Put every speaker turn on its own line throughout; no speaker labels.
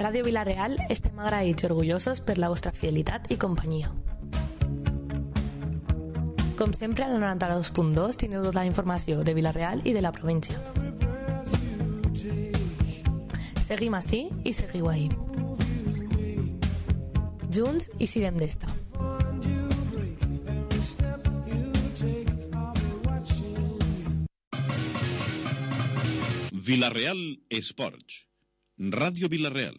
Ràdio Vila-real estem agraïts i orgullosos per la vostra fidelitat i companyia. Com sempre, a la 92.2 tindreu tota la informació de Vila-real i de la província. Seguim ací i seguiu ahí. Junts i sirem d'esta.
Vila-real Esports. Radio Vila-real.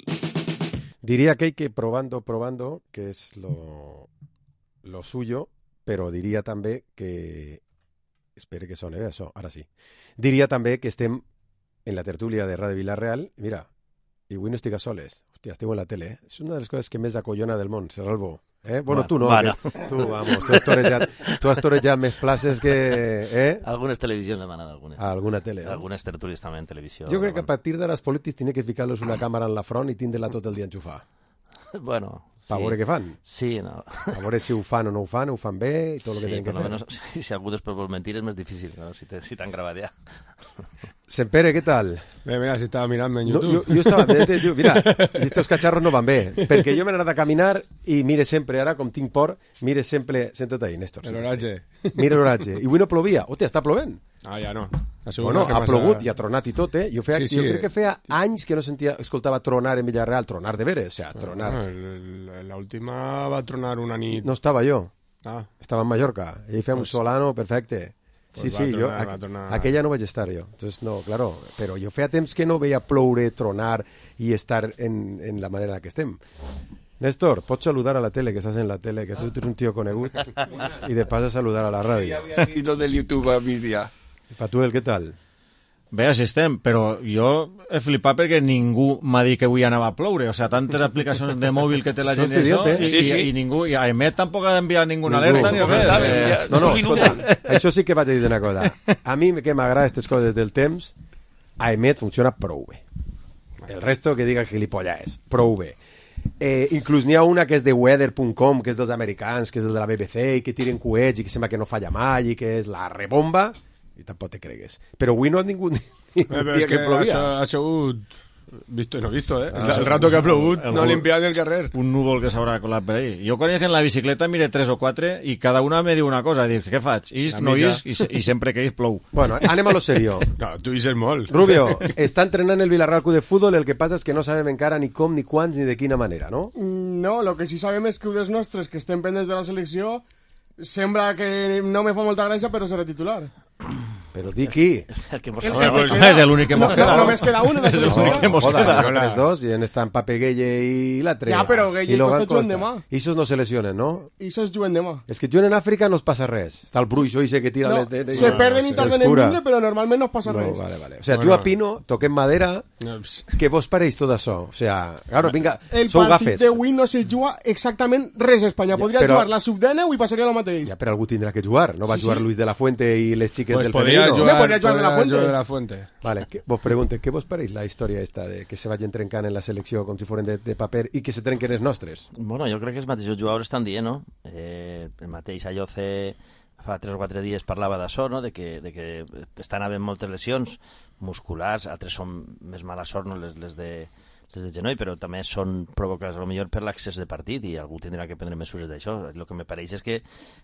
Diría que hay que probando, que es lo suyo, pero diria també que... Espere que sone, això, ara sí. Diria també que estem en la tertúlia de Ràdio Vila-real. Mira, i avui no estic a soles. Hòstia, esteu en la tele. És una de les coses que més acollona del món, Serralbo. Bueno, tu no.
Bueno.
Tu, vamos, tu has torejat més places que...
Algunes televisions hem anat, algunes.
A alguna tele, no?
Algunes tertúlies també en televisió.
Jo crec que a partir d'ara els polítics tenen que ficar-los una càmera en la front i tindre-la tot el dia enxufar.
Bueno, sí.
A veure què fan.
Sí, no.
A veure si ho fan o no ho fan bé i tot el que tenen que fer.
Menos, si algú després vol mentir és més difícil, no? Si t'han gravat ja.
Sempere, què tal?
Bé, mira, si estava mirant en YouTube.
Jo estava... Mira, estos cacharros no van bé, perquè jo m'he anat a caminar i mire sempre, ara, com tinc por, mire sempre... Senta't ahí, Néstor.
L'oratge.
Mira l'oratge. I avui no plovia. Hòstia, està plovent.
Ah, ja no.
Bueno, ha plogut i ha tronat i tot, Jo crec que feia anys que no escoltava tronar en Villarreal, tronar de veres, o sea, tronar.
L'última va tronar una nit...
No estava jo.
Estava
en Mallorca. Ell feia un solano perfecte. Sí, jo aquella no vaig estar jo. Entonces, no, claro, però jo feia temps que no veia ploure, tronar i estar en la manera que estem. Néstor, pots saludar a la tele, que estàs en la tele, que tu ets un tio conegut, i de pas a saludar a la ràdio.
I tot el YouTube a migdia.
Patuel, què tal?
Bé, així estem, però jo he flipat perquè ningú m'ha dit que avui anava a ploure. O sigui, tantes aplicacions de mòbil que té la gent i ningú... I a EMET tampoc ha d'enviar ninguna alerta ni res.
No, escolta, això sí que vaig a dir una cosa. A mi que m'agrada aquestes coses del temps, a EMET funciona prou bé. El resto que diga gilipollas, prou bé. Inclús n'hi ha una que és de weather.com, que és dels americans, que és de la BBC, i que tiren coets i que sembla que no falla mai, i que és la rebomba... i tampoc te cregues. Però avui no ha ningú dia que plovia.
Ha sigut visto i no visto, El rato que ha plogut no ha limpiat el carrer.
Un núvol que s'haurà colat per ahí. Jo quan en la bicicleta mire 3 o 4 i cada una me diu una cosa. Dic, què faig? Isc, no isc, i sempre que isc plou.
Bueno, anem a lo serio.
No, tu isques molt.
Rubio, està entrenant el Villarreal Club de Futbol, el que passa és que no sabem encara ni com, ni quants, ni de quina manera, no?
No, lo que sí sabem és que un dels nostres que estem pendents de la selecció sembla que no me fa molta gràcia, però serà titular.
Però di qui?
És l'únic que mos queda.
Només queda un en la selecció.
Els dos, i en estan Pape Gueye i l'altre.
Ja, però Gueye Costa juguen demà.
I esos no se lesionen, no?
I esos juguen demà.
És que juguen en Àfrica no es passa res. Està el bruixo i que tira les...
Se perden i tarden en vindre, però normalment no es passa res.
Vale. O sea, tu a Pino, toquem madera, què vos pareix tot això? O sea, claro, vinga, sou gafes.
El partit d'avui no se juga exactament res a Espanya. Podria jugar la sub-19 i passaria el mateix.
Ja, però algú tindrà que jugar. No va jugar Luis de la Fuente i les xiques del femenino.
Podria jugar de la Fuente.
Vale, vos pregunte, què vos pareix la història esta de que se vagin trencant en la selecció com si foren de paper i que se trenquen els nostres?
Bueno, jo crec que els mateixos jugadors estan dient, no? El mateix Ayoce fa 3 o 4 dies parlava d'això, no? De que estan havent moltes lesions musculars, altres són més mala sort, no? Les de genoll, però també són provocades potser per l'accés de partit i algú tindrà que prendre mesures d'això. El que me pareix és que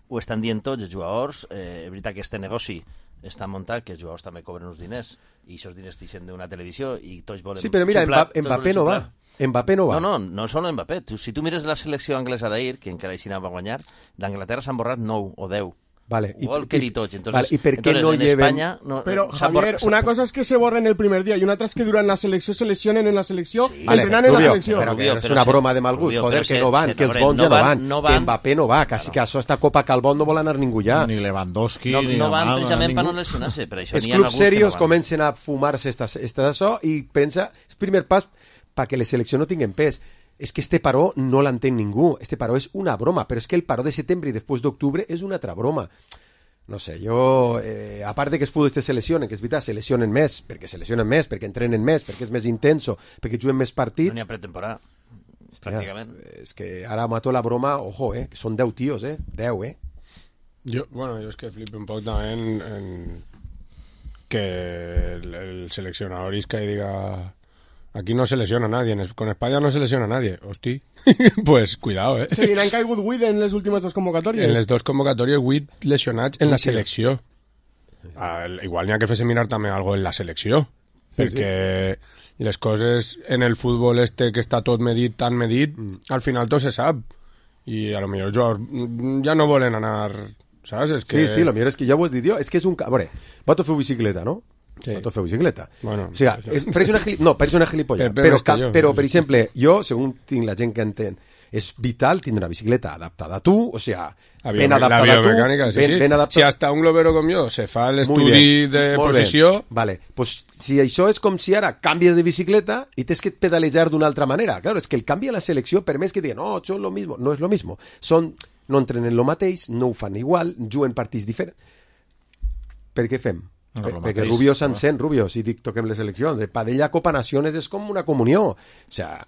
ho estan dient tots els jugadors. És veritat que este negoci està muntat, que els jugadors també cobren uns diners i aquests diners t'ixen d'una televisió i tots volen...
Sí, però mira, Mbappé no va. Mbappé no va.
No solo Mbappé. Si tu mires la selecció anglesa d'ahir, que encara així va guanyar, d'Anglaterra s'han borrat 9 o 10.
Vale.
Walker i tots. Entonces,
¿y por qué no lleven...?
Pero, Javier, una cosa es que se borren el primer día y una otra es que durant la selecció se lesionen en la selecció, entrenan en la selecció.
Però és una broma de mal gust, joder, que no van, que els bons ja no van, que Mbappé no va, quasi que això, esta Copa Calbón no vol anar ningú ja.
Ni Lewandowski,
ni
no
van precisament per no lesionar-se.
Els clubs serios comencen a fumar-se d'això i pensa, és el primer pas perquè les seleccions no tinguin pes. És que este paró no l'entén ningú. Este paró és una broma, però és que el paró de setembre i després d'octubre és una altra broma. No sé, jo, a part de que els futbolistes se lesionen, que és veritat, se lesionen més, perquè entrenen més, perquè és més intenso, perquè juguen més partits...
No n'hi ha pretemporada, pràcticament.
És que ara mato la broma, ojo, que són 10 tios, 10,
Jo és que flipo un poc també en que el seleccionador isca i diga Aquí no se lesiona nadie, con España no se lesiona nadie. Hosti, pues cuidado,
Se li n'han caigut 8 en les últimes 2 convocatòries.
En les 2 convocatòries 8 lesionats en la selecció. Igual n'hi ha que fer-se mirar també algo en la selecció, perquè les coses en el futbol que està tot medit, tan medit, al final tot se sap. I a lo millor els jugadors ja no volen anar, saps? És que...
Sí, lo millor és que ja ho has dit jo, és que és un... A veure, vosaltres feu bicicleta, no? Sí. Vosaltres feu bicicleta.
Bueno,
o sigui, pareix una gilipolla. Però, per exemple, jo, segons tinc la gent que entén, és vital tindre una bicicleta adaptada a tu, o sea, ben adaptada a tu, ben adaptada...
Si hasta un globero com jo se fa l'estudi de posició...
Vale, pues si això és com si ara canvies de bicicleta i tens que pedalejar d'una altra manera. Claro, és que el canvi a la selecció per més que diguen, no, són lo mismo, no és lo mismo. No entrenen lo mateix, no ho fan igual, juguen partits diferents. Per què fem? Perquè Rubio s'encén, Rubio, si dic toquem les eleccions. Per ella Copa Naciones és com una comunió. O sea...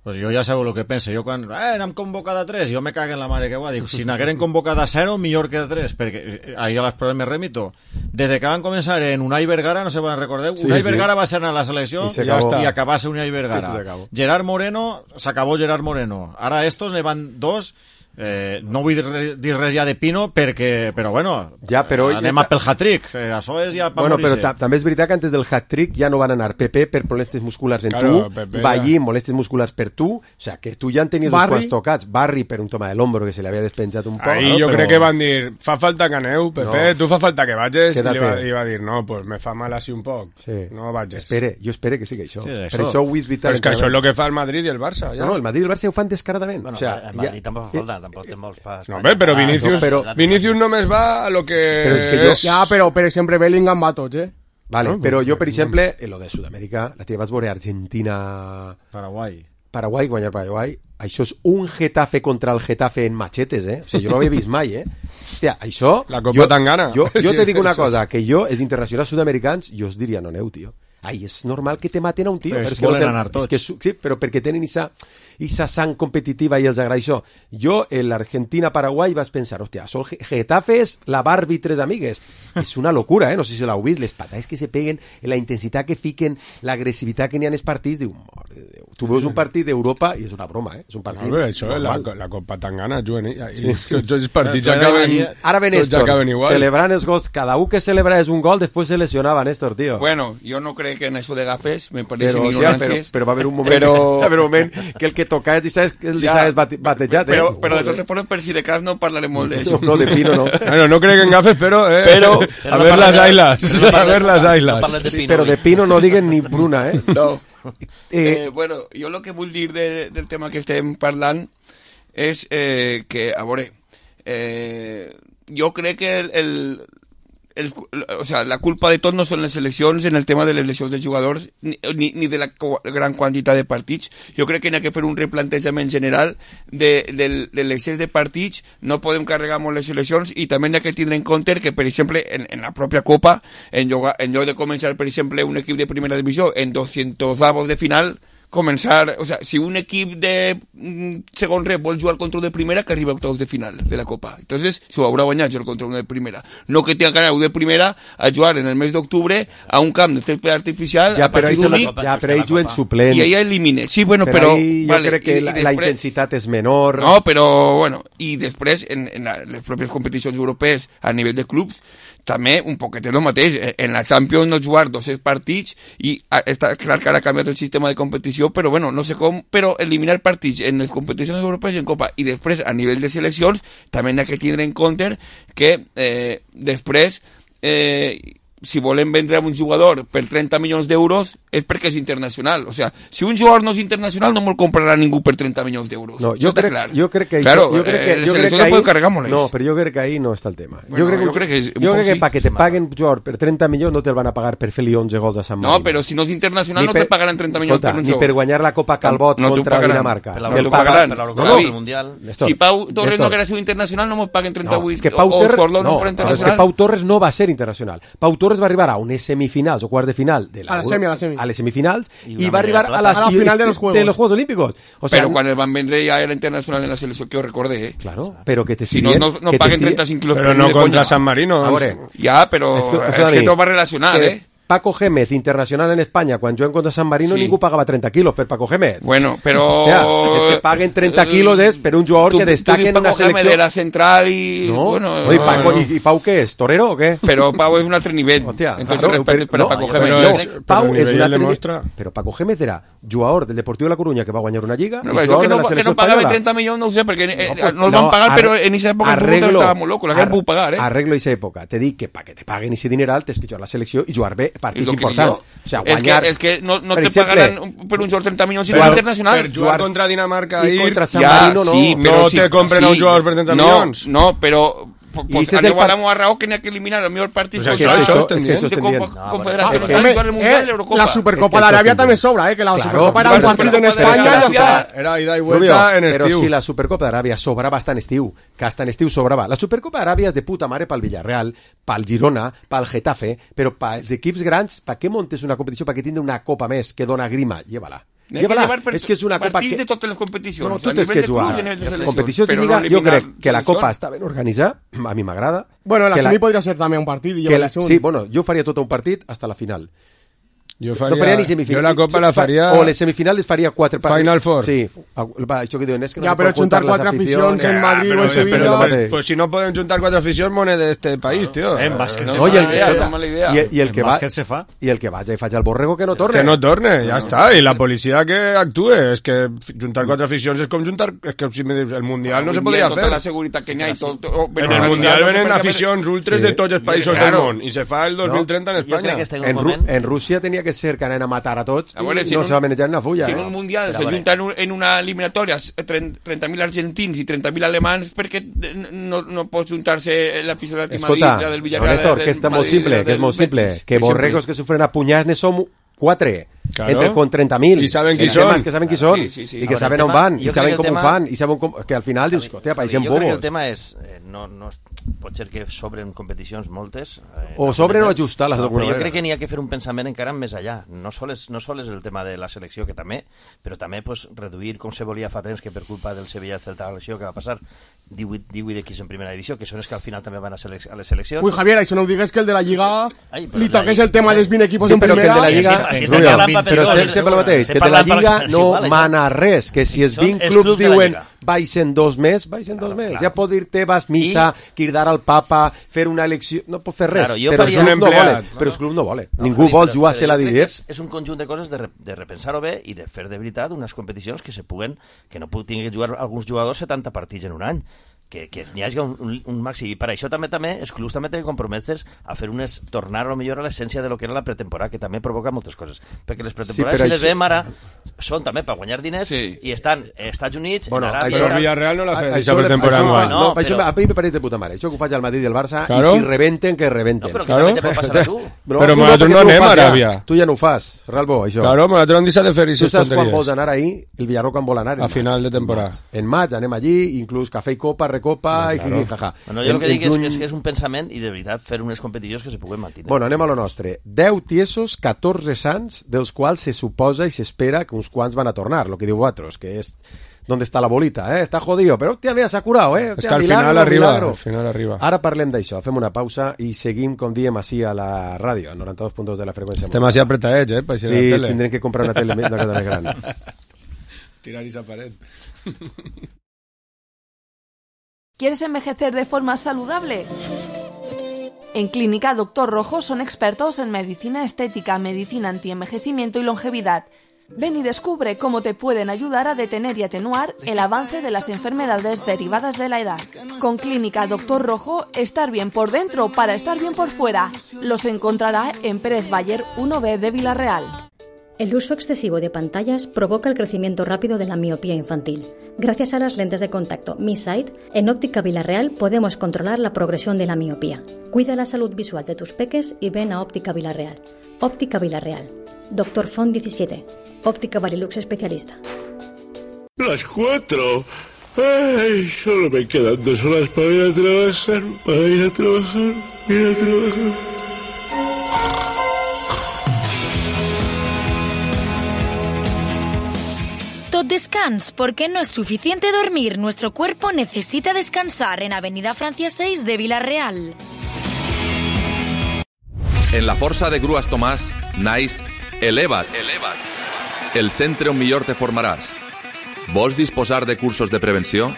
Pues jo ja sabeu el que penso. Jo quan n'hem convocat a 3, jo me cago en la mare que va. Dic, si n'hagueren convocat a 0, millor que a 3, perquè ahí a les proves me remito. Des que van començar en Unai Vergara, no sé si recordeu, Unai Vergara va ser a la selecció i acabava Unai Vergara. Gerard Moreno, s'acabó Gerard Moreno. Ara estos ne van 2. No vull dir res ja de Pino però bueno, anem a pel hat-trick, això és ja per
morir-se. Però també és veritat que antes del hat-trick ja no van anar Pepe per molestes musculars en tu, Ballí molestes musculars per tu, o sea, que tu ja en tenies uns quants tocats, Barry per un toma de l'hombro que se li havia despenjat un poc.
Ahí jo crec que van dir, fa falta que aneu, Pepe, tu fa falta que vagis, i va dir, no, pues me fa mal així un poc, no vagis.
Jo espero que sigui això, per això ho és vital.
Però és que això és el que fa el Madrid i el Barça.
No, el Madrid i el Barça ho fan descaradament.
El Madrid tampoc fa falta, tampoc té molts pas.
No, però Vinícius només va a lo que
és... Ja, però per exemple Bellingham va a tots,
Vale, però jo, per exemple, en lo de Sud-amèrica, la teva vas veure Argentina... Paraguai, guanyar Paraguai, això és un Getafe contra el Getafe en machetes, O sigui, jo no ho havia vist mai, Hòstia, això...
La Copa Tangana.
Jo te dic una cosa, que jo, els internacionals sud-americans, jo us diria, no aneu, tio. Ai, és normal que te maten a un tio.
Però és que volen anar tots.
Sí, però perquè tenen esa sang competitiva i els agrada això. Jo, en l'Argentina-Paraguai, vas pensar, hòstia, són Getafes, la Barbie, 3 amigues. És una locura, No sé si l'heu vist, les patades que se peguen, la intensitat que fiquen, l'agressivitat que n'hi ha en els partits, diu, mare de Déu. Tu veus un partit d'Europa i és una broma, És un partit
normal. Això és la Copa Tangana, juguen tots els partits acaben...
Ara ve Néstor, celebrant els gols, cada un que celebra és un gol, després se lesionava Néstor, tío.
Bueno, yo no creo que en eso de gafes, me parece ignorancias.
Pero va a haber un momento, que el que toca es batejat,
Pero de todas formas, per si de cas no parlaremos de eso.
No, de Pino no.
Bueno, no creo que en gafes, pero a ver las ailas. A ver las ailas.
Pero de Pino no diguen ni Bruna,
No. Bueno, jo el que vull dir del tema que estem parlant és que, a veure, jo crec que o sea, la culpa de tot no són les seleccions en el tema de les lesions de jugadors ni de la gran quantitat de partits. Jo crec que n'hi ha que fer un replantejament general de l'excés de partits. No podem carregar molt les seleccions i també n'hi ha que tindre en compte que, per exemple, en la pròpia Copa, en lloc de començar, per exemple, un equip de primera divisió en 200avos de final, començar, o sea, si un equip de segon rep vol jugar contra un de primera, que arriba a octavos de final de la Copa. Entonces, s'ho haurà guanyat jugar contra un de primera. No que tenga que anar un de primera a jugar en el mes d'octubre a un camp de césped artificial a partir d'únic.
Ja, però ahí juguen suplents.
I ahí elimine. Sí, bueno, però...
Jo crec que la intensitat és menor.
No, però, bueno, i després, en les pròpies competicions europees a nivell de clubs, també un poquet el mateix. En la Champions no jugar 200 partits i està clar que ara ha canviat el sistema de competició, però bueno, no sé com, però eliminar partits en les competicions europees i en Copa i després a nivell de seleccions també n'hi ha que tindre en compte que després si volen vendre a un jugador per 30 milions d'euros és perquè és internacional. O sea, si un jugador no és internacional no me'l comprarà ningú per 30 milions d'euros.
No, jo crec que
claro, la selecció no pot carregar molt.
No, però jo crec que ahí no està el tema.
Bueno,
jo crec que para que te paguen un jugador per 30 milions no te'l van a pagar per fer-li 11 gols a Sant Marino.
No, però si no és internacional no te pagaran 30 milions per un jugador.
Ni per guanyar la Copa Calbot contra Dinamarca.
No t'ho pagaran. Per Mundial. Si Pau Torres no haguera sigut internacional no mos paguen 38.
És que Pau Torres no va ser internacional. Pau Torres va arribar a unes semifinals o quarts de final a les semifinals i va arribar a la
final de los Juegos
Olímpicos. O sea,
pero cuando el Van Vendre ya era internacional en la selección, que os recordé,
Claro, pero que te
si no paguen 35 kilos
pero no contra San Marino.
Ya, pero es que todo va relacionado,
Paco Gémez, internacional en Espanya, quan juguen contra San Marino, ningú pagava 30 quilos per Paco Gémez.
Bueno, però...
és que paguen 30 quilos és per un jugador que destaca en una selecció...
Paco Gémez era central y...
No,
bueno,
¿Y Pau qué es? ¿Torero o qué?
Pero Pau es un altre nivell.
Hostia,
entonces respeto para Paco Gémez.
No, Pau és un altre nivell. Però Paco Gémez era jugador del Deportivo de La Coruña que va guanyar una lliga.
No, eso que no pagaba 30 millones, no sé, porque no lo van a pagar, pero en esa época estaba muy loco, la gente pudo pagar,
Arreglo esa època. Te dic que para que te paguen ese dineral tens que jugar a la selecció i jugar bé partits importants. O sea, guanyar...
Es que no te pagarán por un jugador 30 millones si no es internacional.
Per jugar contra Dinamarca
i contra San Marino no.
Sí, no te compren a un jugador per 30 milions.
No, però... Pues hablamos a Raúl que tenía que eliminar el mejor partido
de
Confederación.
La Supercopa de Arabia también sobra, que la Supercopa era un partido en España y ya está.
Era ida y vuelta en estiu.
Però si la Supercopa d'Aràbia sobrava hasta en estiu, que hasta en estiu sobrava. La Supercopa d'Aràbia és de puta mare pel Villarreal, pel Girona, pel Getafe, però pels equips grans, per què montes una competició perquè tindre una copa més que dona grima? Llévala. És que és una copa que...
de totes les competicions.
No, tu tens que jugar. Competició de Lliga, jo crec que la copa està ben organitzada, a mi m'agrada.
Bueno, la semi podria ser també un partit.
Sí, bueno, jo faria tot un partit hasta la final.
Jo faria,
no faria ni semifinal.
Jo la Copa la faria...
O les semifinals faria 4 partits.
Final Four.
Sí. Això que diuen és que no
ja, però juntar 4 aficions en Madrid o en Sevilla...
Pues si no poden juntar 4 aficions, moneda de este país, tío.
En bàsquet se
fa. I el que
bàsquet se fa.
I el que vagi i faig al borrego que no torne.
Que no torne, ja està. I la policia que actue. És que juntar 4 aficions és com juntar... És que si me dius, el Mundial no se podria fer.
Tota la seguretat que n'hi ha i tot...
En el Mundial venen aficions ultres de tots els països del món. I se fa el 2030 en Espanya.
En Rússia tenia que ser que anen a matar a tots i no se va manejar una fulla.
Si en un Mundial se junten en una eliminatòria 30.000 argentins i 30.000 alemans, perquè no pot juntar-se l'aficionat de Madrid, del Villarreal...
Escolta, Néstor, que és molt simple, que és molt simple. Que borregos que sufren a punyats ne som 4. Entre con 30.000
i saben qui són,
que saben qui són i que saben on van, i saben com ho fan i saben que al final dius, hòstia, pareixen bobos.
Jo crec que el tema és pot ser que sobren competicions moltes
o sobren o ajustar-les d'alguna manera.
Jo crec que n'hi ha que fer un pensament encara més allà, no sols és el tema de la selecció, que també, però també pues, reduir com se volia fa temps, que per culpa del Sevilla i Celta que va passar 18 equips en primera divisió, que són els que al final també van a les seleccions.
Ui, Javier, això no ho digues que el de la Lliga li toqués el tema dels 20 equipos en primera.
Però estem sempre el mateix, que de la Lliga no mana res, que si els 20 clubs diuen baixen 2 més, ja pot dir-te vas missa, cridar al papa, fer una elecció, no pot fer res, però els clubs no volen, ningú vol jugar-se la divisió.
És un conjunt de coses de repensar-ho bé i de fer de veritat unes competicions que se puguen, que no tinguin que jugar alguns jugadors 70 partits en un any, que n'hi hagi un màxim, i per això també els clubs també tenen que comprometre's a fer tornar a millor a l'essència de lo que era la pretemporada, que també provoca moltes coses, perquè les pretemporades, si les veiem ara, són també per guanyar diners i estan als Estats Units,
en Aràbia... Però Villarreal no l'ha fet, aquesta pretemporada.
A mi me pareix de puta mare, això que ho faig al Madrid i al Barça, i si rebenten, que rebenten.
No, però que també te pot passar a tu.
Però nosaltres no anem a Aràbia.
Tu ja no ho fas, Ralbo, això.
Claro, nosaltres hem deixat de fer aquestes tonteries.
Tu saps quan vols anar ahir? El Villarreal quan vol anar?
A final de temporada.
En maig anem allí, inclús cafè i copa, recopa i jaja.
Jo el que dic és que és un pensament i de veritat fer unes competicions que se puguen mantenir.
Bueno, anem a lo nostre. 10 tiesos, 14 sants, dels quals se suposa i s'espera que uns quants van a tornar, lo que diu vosaltres, que és ¿dónde está la bolita? Está jodido, pero hostia, mira, s'ha curat,
És que al final arriba.
Ara parlem d'això, fem una pausa i seguim, com diem, així a la ràdio, a 92.2 de la freqüència.
Estem així apretadets, per
així sí, la tele. Tindrem que comprar una tele una cosa més gran.
Tirar esa pared.
¿Quieres envejecer de forma saludable? En Clínica Doctor Rojo son expertos en medicina estética, medicina antienvejecimiento y longevidad. Ven y descubre cómo te pueden ayudar a detener y atenuar el avance de las enfermedades derivadas de la edad. Con Clínica Doctor Rojo, estar bien por dentro para estar bien por fuera. Los encontrará en Pérez Bayer 1B de Villarreal.
El uso excesivo de pantallas provoca el crecimiento rápido de la miopía infantil. Gracias a las lentes de contacto Mi Sight, en Óptica Villarreal podemos controlar la progresión de la miopía. Cuida la salud visual de tus peques y ven a Óptica Villarreal. Óptica Villarreal. Dr. Font 17. Óptica Varilux especialista.
Las 4. Ay, solo me quedan 2 horas para ir a trabajar.
Tot descans, porque no es suficiente dormir. Nuestro cuerpo necesita descansar en Avenida Francia 6 de Villarreal.
En la força de Grues Tomàs naix Eleva't, el centre on millor te formaràs. Vols disposar de cursos de prevenció?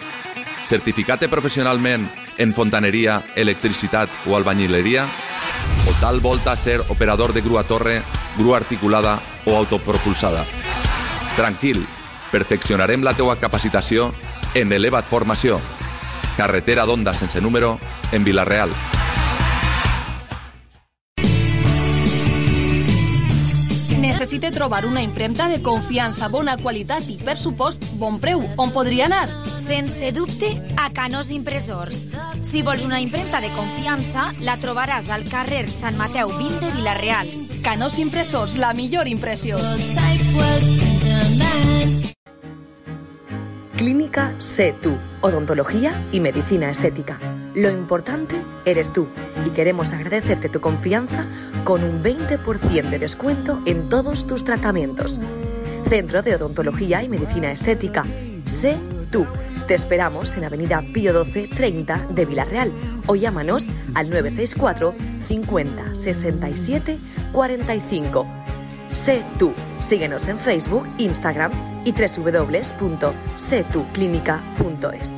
Certificat-te professionalment en fontaneria, electricitat o albañileria? O tal volta ser operador de grua torre, grua articulada o autopropulsada? Tranquil, perfeccionarem la teua capacitació en Eleva't Formació. Carretera d'Onda sense número, en Vila-real.
Necessite trobar una impremta de confiança, bona qualitat i, per supost, bon preu. On podria anar?
Sense dubte, a Canós Impressors. Si vols una impremta de confiança, la trobaràs al carrer Sant Mateu 20 de Vila-real.
Canós Impressors, la millor impressió.
Clínica Sé Tú, odontología y medicina estética. Lo importante eres tú y queremos agradecerte tu confianza con un 20% de descuento en todos tus tratamientos. Centro de Odontología y Medicina Estética. Sé Tú. Te esperamos en Avenida Pío 12 30 de Vila-real o llámanos al 964 50 67 45. Sé Tú. Síguenos en Facebook, Instagram y www.setuclinica.es.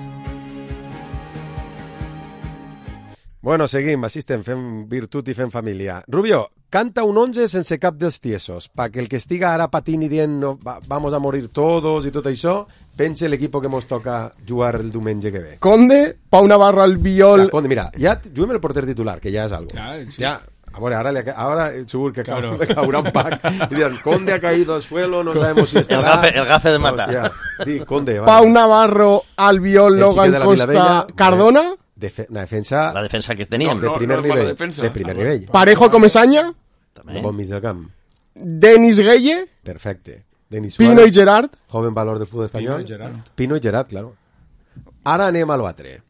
Bueno, seguim, així estem, fem virtut i fem família. Rubio, canta un 11 sense cap dels tiesos, perquè el que estiga ara patint i dient no, vamos a morir todos i tot això, pense l'equip que mos toca jugar el diumenge que ve.
Conde, Pau Navarro al viol...
Clar, Conde, mira, ja juguem el porter titular, que ja és algo.
Clar, sí.
Ja, a veure, ahora segur que claro. Caurà un pack y dirán, Conde ha caído al suelo, no sabemos si estará...
El gafe de matar.
Hostia, di, Conde,
Pau Navarro, Albiol, Logan Costa, Cardona...
Una defensa...
La defensa que teníem.
De primer nivell. De primer nivell.
Parejo Comesaña.
Un bon mig del camp.
Denis Gueye.
Perfecte. Denis
Pino
Suárez,
i Gerard.
Joven valor del fútbol espanyol. Pino i Gerard, claro. Ara anem a l'altre.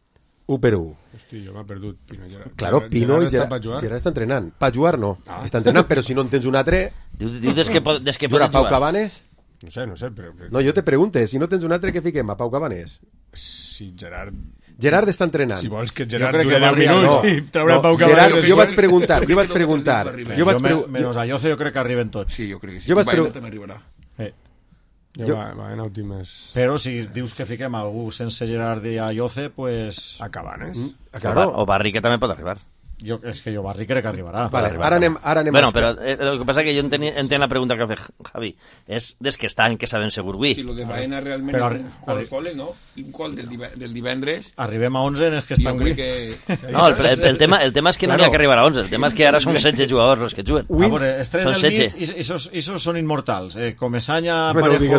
1 per 1.
Hosti, jo m'ha perdut Pino i Gerard.
Claro, Pino i Gerard. Gerard està entrenant. Pa jugar no. Està entrenant, però si no en tens un altre...
Diu des que pot
jugar. Pau Cabanes?
No sé, però...
No, jo te pregunte, si no tens un altre, què fiquem? A Pau Cabanes?
Si Gerard...
Gerard està entrenant.
Si vols que Gerard dure 10 minuts i traurà Pau Cabanes...
Gerard, jo vaig preguntar.
Menos a Lloce jo crec que arriben tots.
Sí, jo crec que sí.
Jo vaig
m'arribarà.
Va en últimes...
Però si dius que fiquem algú sense Gerard i a Lloce, pues...
A Cabanes.
O Barri, que també pot arribar.
És que jo Barri crec que arribarà.
Vale, ara anem
bueno, però el que passa que jo entenc la pregunta que ha fet Javi. És des que estan, que sabem segur avui.
Si lo de Baena realment és un col, no? Un col del divendres.
Arribem a 11 en els que estan avui.
No, el tema és que no n'hi ha que arribar a 11. El tema és que ara són 16 jugadors els que juguen.
A veure, els 3 del mig, i són immortals. Comesaña,
Parejo
i...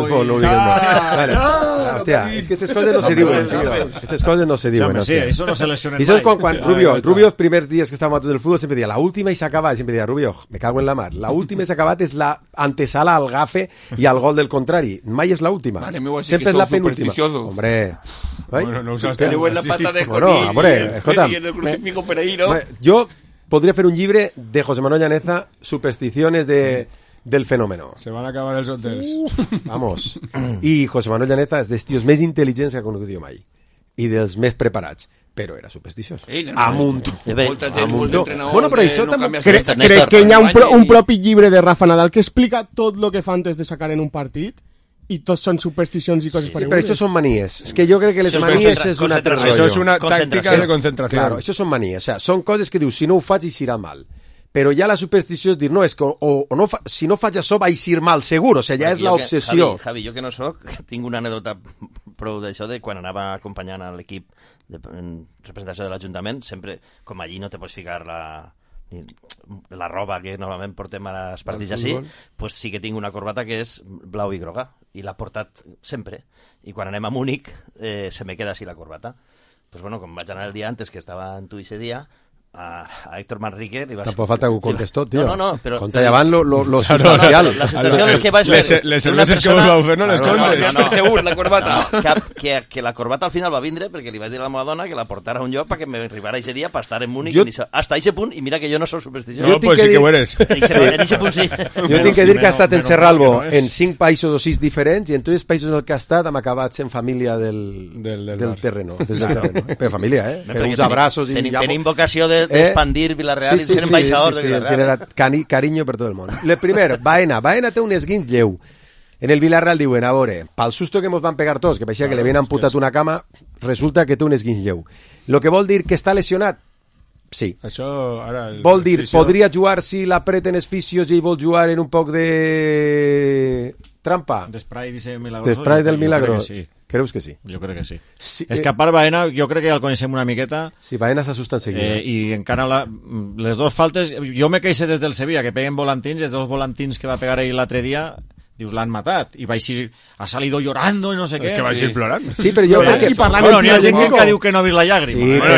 Hòstia, és que aquestes coses no se diuen. Aquestes coses no se diuen.
Sí, això no se lesionen mai.
I saps quan Rubio, els primers dies que estàvem a tot el futbol, sempre deia, la última i s'ha acabat, sempre deia, Rubio, me cago en la mar, la última i s'ha acabat és la antesala al gafe i al gol del contrari, mai és la última, sempre és la penúltima. Hombre,
bueno, no
teniu en la pata de conill y en el crucifijo per ahí, ¿no?
Jo podria fer un llibre de José Manuel Llaneza, supersticiones del fenómeno.
Se van a acabar els hotels.
Vamos. I José Manuel Llaneza és dels tios més intel·ligents que ha conegut jo mai. I dels més preparats. Però era supersticiós. Amunt. Bueno, però això també...
Crec que hi ha un propi llibre de Rafa Nadal que explica tot el que fa antes de sacar en un partit i tots són supersticions i coses paregudes.
Però això són manies. És que jo crec que les manies és un altre rotllo.
Això és una tàctica de concentració.
Claro, això són manies. O sea, són coses que dius, si no ho faig, eixirà mal. Però ja la superstició és dir, no, és que si no faig això va eixir mal, segur. O sigui, ja és l'obsessió.
Javi, jo que no soc, tinc una anèdota prou d'això de quan anava acompanyant a l'equip en representació de l'Ajuntament, sempre, com allí no te pots ficar la roba que normalment portem a les partits així, pues sí que tinc una corbata que és blau i groga, i l'ha portat sempre. I quan anem a Múnich, se me queda així la corbata. Pues bueno, com vaig anar el dia antes, que estava en tu ese dia, a Héctor Manrique li vas...
Tampoc falta que ho contestó, tio.
No, però...
Conta llevant lo substancial.
La substancial és que vaig fer...
Les cerveses que vos vau fer no les contes.
No, segur, la corbata.
Que la corbata al final va vindre perquè li vaig dir a la meva dona que la portara a un lloc perquè m'arribara aquest dia per estar en Múnich hasta aquest punt, i mira que jo no soc supersticiós.
No, pues sí que ho eres.
En aquest punt sí.
Jo tinc que dir que ha estat en Serralbo en 5 països o 6 diferents, i en tots els països en què ha estat hem acabat sent família del terreno. Per família, per uns abraços.
Tenim vocació de de expandir Villarreal i ser ambaixador de Villarreal.
Tiene cariño per tot el món. El primer, Baena té un esguinç lleu. En el Villarreal diuen, a veure, pel susto que mos van pegar tots, que parecía que le havien amputat una cama, resulta que té un esguinç lleu. Lo que vol dir que està lesionat? Sí.
Això, ara...
Vol dir, podria jugar si l'apreten els fisios i vol jugar en un poc de trampa?
D'esprai del Milagroso.
D'esprai del Milagroso.
Sí.
Creus que sí?
Jo crec que sí. És que a part Baena, jo crec que ja el coneixem una miqueta.
Sí, Baena s'assusta enseguida.
I encara les dues faltes... Jo me queixé des del Sevilla, que peguen volantins, els dos volantins que va pegar ell l'altre dia... Dius, l'han matat, i va eixir, ha salido llorando i no sé què.
És que va eixir plorant.
Sí, però jo crec que...
Bueno, n'hi ha gent que diu que no ha vist la llàgrima.
Sí,
però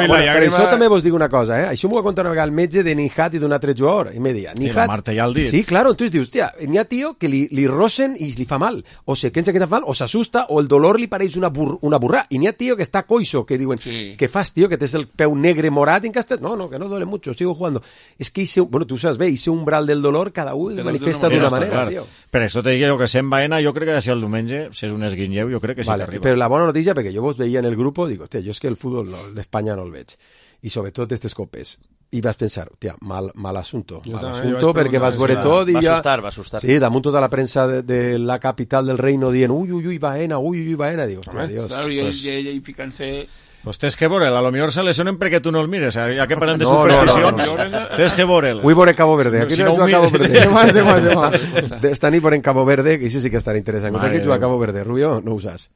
per això també vos dic una cosa, Això m'ho va contar una vegada el metge de Nihat i d'un altre jugador, i me deia, Nihat...
I la Marta ja el dit.
Sí, claro, entonces dius, hòstia, n'hi ha tio que li rosen i li fa mal, o se pensa que fa mal, o s'assusta, o el dolor li pareix una burrà, i n'hi ha tio que està coixo, que diuen, què fas, tio, que tens el peu negre morat en castet? No, que no duele mucho, sigo jugando. És que bueno, tu saps bé, ese umbral del dolor cada un manifesta d'una manera, tio.
Per això te dic jo que sent Baena, jo crec que ha de ser el diumenge, si és un esguinlleu, jo crec que sí que arriba.
Però la bona notícia, perquè jo vos veia en el grup, dic, hòstia, jo és que el futbol d'Espanya no el veig. I sobretot aquestes copes. I vas pensar, hòstia, mal assunto. Mal assunto, perquè vas veure tot i ja...
Va assustar.
Sí, damunt tota la premsa de la capital del reino dient, ui, Baena, dic, hòstia, Dios.
Claro, i ficant-se...
Pues tens que veure'l, a lo millor se lesionen perquè tu no el mires, ja que parlem de supersticions, tens que veure'l.
Vull veure Cabo Verde, aquí no juga Cabo Verde.
Demà.
Esta nit veurem Cabo Verde, que això sí que estarà interessant. Contra qui juga Cabo Verde, Rubio, no ho saps.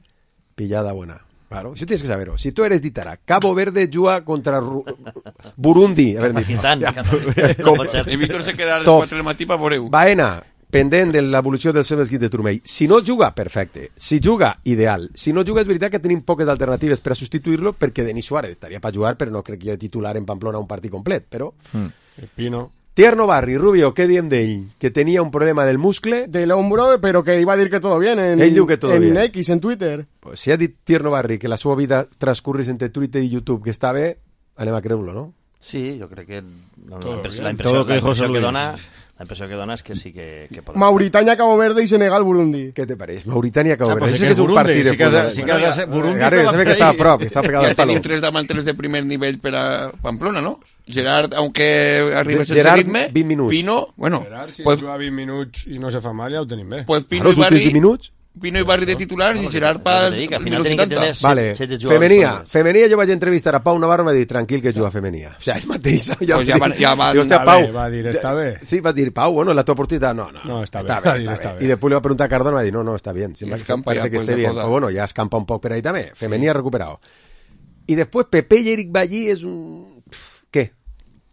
Pillada buena. Claro, eso tienes que saberlo. Si tú eres d'Itara, Cabo Verde juga contra Burundi. A ver,
Pakistán.
Y Víctor se queda a les 4 del matí per veure-ho.
Baena, pendent de l'evolució del seu esquí de turmell. Si no juga, perfecte. Si juga, ideal. Si no juga, és veritat que tenim poques alternatives per a substituir-lo, perquè Denis Suárez estaria per jugar, però no crec que jo titular en Pamplona un partit complet, però...
Pino.
Tierno Barri, Rubio, què diem d'ell? Que tenia un problema en el muscle...
Del hombro, però que iba a dir que todo bien en X, en Twitter.
Pues si ha dit Tierno Barri que la seva vida transcurris entre Twitter i YouTube que està bé, anem a creure-lo, no?
Sí, jo crec que la impressió que dona és que sí que pot...
Mauritania, Cabo Verde i Senegal, Burundi.
Què te pareix? Mauritania, Cabo Verde. Això és un partit de futbol.
Burundi
estava que estava a prop, que estava pegat al palo.
Tenim 3 davanteros de primer nivell per a Pamplona, no? Gerard, aunque arriba sense ritme...
20 minuts.
Pino, bueno...
Gerard, si juga 20 minuts i no se fa mal, ja ho tenim bé.
Pues Pino i Barri... Pino i Barri de titulars i Gerard per minut 70.
Vale, Femenia jo vaig entrevistar a Pau Navarro i va dir, tranquil que juga Femenia. O sigui, ell mateix ja
va dir, està bé.
Sí, va dir, Pau, bueno, la tua oportunitat, no,
està bé.
I després li va preguntar a Cardona i va dir, no, està bien. Parece que esté bien. Però bueno, ja escampa un poc per ahí també. Femenia recuperado. I després Pepe i Eric Ballí és un... Què?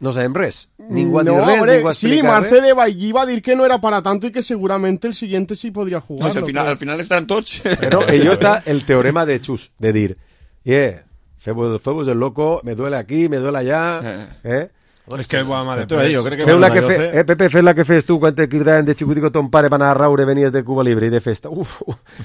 No sabem res. Ningú ha dit res, ningú ha explicat
sí, Marce de Ballí va dir que no era para tanto y que seguramente el siguiente sí podría jugar.
No, al final estan tots.
Pero ello está el teorema de Chus, de dir, femos el loco, me duele aquí, me duele allá,
És que va mal de
Pepe, fes la que fes tu quan te cridaven de xicutico ton pare per anar a raure, venies de Cuba Libre i de festa.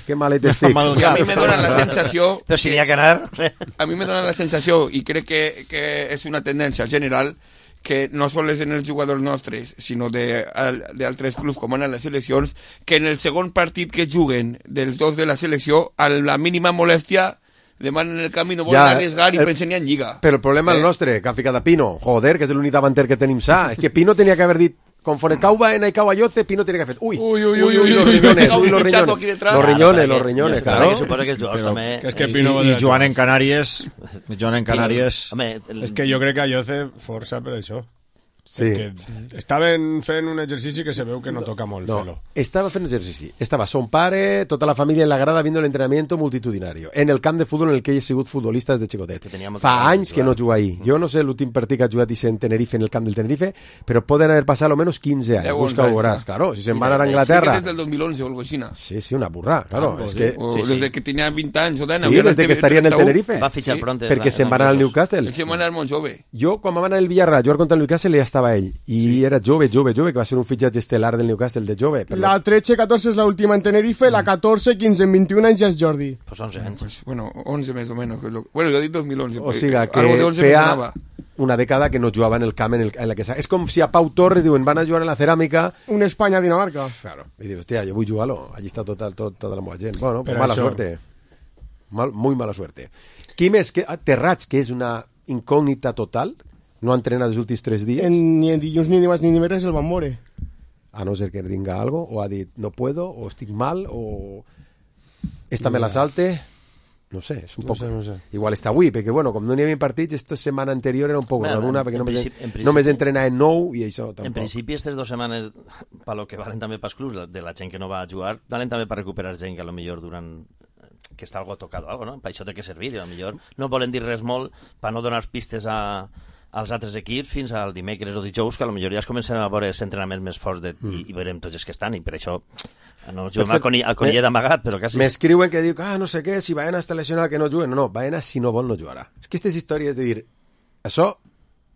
Que malet estic.
I a mi me dona la sensació...
Però si n'hi ha que anar...
A mi me dona la sensació, i crec que és una tendència general, que no sols en els jugadors nostres, sinó d'altres clubs com en les seleccions, que en el segon partit que juguen dels dos de la selecció, a la mínima molèstia demanen el camí, no volen arriesgar i pensen en Lliga.
Però el problema és el nostre, que ha ficat a Pino. Joder, que és l'únic davanter que tenim sa. És que Pino tenia que haver dit, conforme cau Baena i cau Ayoce, Pino tenia que haver fet, los riñones, claro.
És que Pino... I Joan en Canàries...
És que jo crec que Ayoce força per això.
Sí.
Estaven fent un exercici que se veu que no toca molt fer-lo.
Estava fent exercici. Estava son pare, tota la família en la grada viendo el entrenamiento multitudinario. En el camp de futbol en el que ell ha sigut futbolista des de xicotet. Fa anys que no juga ahí. Jo no sé l'últim partit que ha jugat en Tenerife, en el camp del Tenerife, però poden haver passat almenys 15 anys. Busca-ho, veuràs. Claro, si se'n van anar a Anglaterra...
Sí, des del 2011 o algo així.
Sí, una burra, claro.
Desde que tenia 20 anys.
Sí, desde que estaria en el Tenerife.
Va fitxar pronto.
Perquè se'n van anar al Newcastle.
Se'n van anar molt jove.
Jo, quan van anar al Villarreal, jugar contra el Newcastle, ja estava ell. I era jove, que va ser un fitxatge estel·lar del Newcastle de jove.
La 13-14 és l'última en Tenerife, la 14-15 en 21 anys ja és Jordi.
Pues 11 anys.
Bueno, 11 més o menys. Bueno, jo dic 2011.
O sigui que feia una dècada que no jugava en el camp en la que... És com si a Pau Torres diuen, van a jugar en la ceràmica...
Un Espanya-Dinamarca.
Claro. I dius, hòstia, jo vull jugar-lo. Allí està tota la meva gent. Bueno, pues mala suerte. Muy mala suerte. Qui més? Terrats, que és una incògnita total? No ha entrenat els últims 3 dies?
Ni en dilluns, ni dimarts, ni dimecres el van veure.
A no ser que tinga algo, o ha dit no puedo, o estic mal, o esta me la salte... No sé, és un poc...
No sé.
Igual està avui, perquè bueno, com no n'hi havia partits, esta setmana anterior era un poc raruna, perquè només entrenar en 9 i això tampoc.
En principi, aquestes 2 setmanes, per lo que valen també pels clubs, de la gent que no va a jugar, valen també per recuperar gent que a lo millor durant... que està algo tocado, algo, no? Per això té que servir, i a lo millor no volen dir res molt per no donar pistes als altres equips fins al dimecres o dijous, que a lo millor ja es comencen a veure els entrenaments més forts i veurem tots els que estan, i per això no juguem al Conillet d'amagat, però quasi...
M'escriuen que diu, no sé què, si Baena està lesionat que no juguen. No, Baena si no vol no jugarà. És que aquestes històries de dir, això,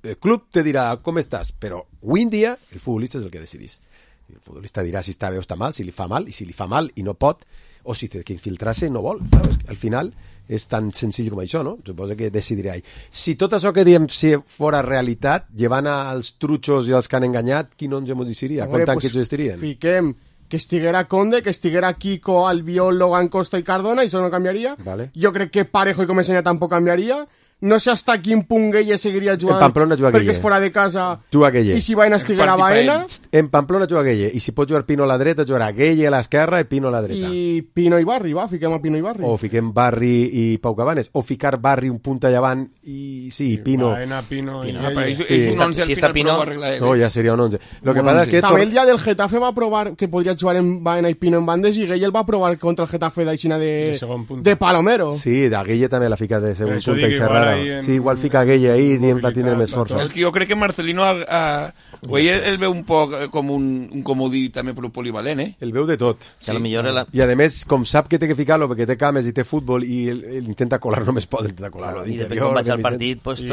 el club te dirà com estàs, però avui en dia el futbolista és el que decidís. El futbolista dirà si està bé o està mal, si li fa mal, i si li fa mal i no pot, o si té que infiltrar-se no vol. Saps? Al final és tan senzill com això, no? Suposo que decidirà ell. Si tot això que diem si fora realitat, llevant als trutxos i als que han enganyat, quin 11 ens diria? Quant anys estirien?
Fiquem que estiguera Conde, que estiguera Kiko, Albiol, Logan, Costa i Cardona, i això no canviaria.
Vale.
Jo crec que Parejo i Comesaña tampoc canviaria. No sé hasta quin punt Gueye seguiria jugant,
en Pamplona juga
perquè
Gueye.
és fora de casa,
Gueye.
i si Baena estiguera Baena...
En Pamplona juga Gueye, i si pot jugar Pino a la dreta, jugarà Gueye a l'esquerra i Pino a la dreta.
I Pino i Barri, va, fiquem a Pino i Barri.
O fiquem Barri i Pau Cabanes, o ficar Barri un punta llevant i sí, Pino.
Baena, Pino i
és un 11 al final, però ho arregla ell.
No, ja seria un 11. Lo que passa és que...
També el dia del Getafe va provar que podria jugar en Baena i Pino en bandes, i Gueye el va provar contra el Getafe d'aixina de Palomero.
Sí, de Gueye també la fica de segon punta i Serrara. Sí, igual fica Gueye ahí dient va tindre més força.
És que jo crec que Marcelino el veu un poc com un comodí també polivalent,
El veu de tot.
Sí.
I a més, com sap que té que ficar-lo perquè té cames i té futbol i intenta colar, només pot intentar colar-lo
i depèn com vaig al partit pots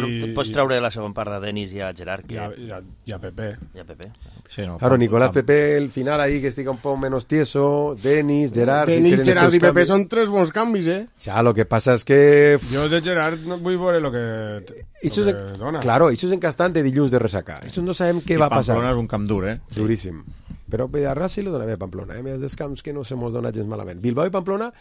treure la segona part de Denis i a Gerard
i a Pepe.
Sí, no, claro, Nicolás Pepe el final ahí que estica un poc menos tieso, Denis, Gerard
Gerard i Pepe són 3 bons canvis,
Ja, lo que passa és que...
Jo de Gerard no vull veure lo que dona.
Claro, això és encastant de dilluns de ressacar. Això no sabem què va passar.
Pamplona és un camp dur,
Duríssim. Però a Ras sí lo dona bé Pamplona, És dels camps que no se mos dona gens malament. Bilbao i Pamplona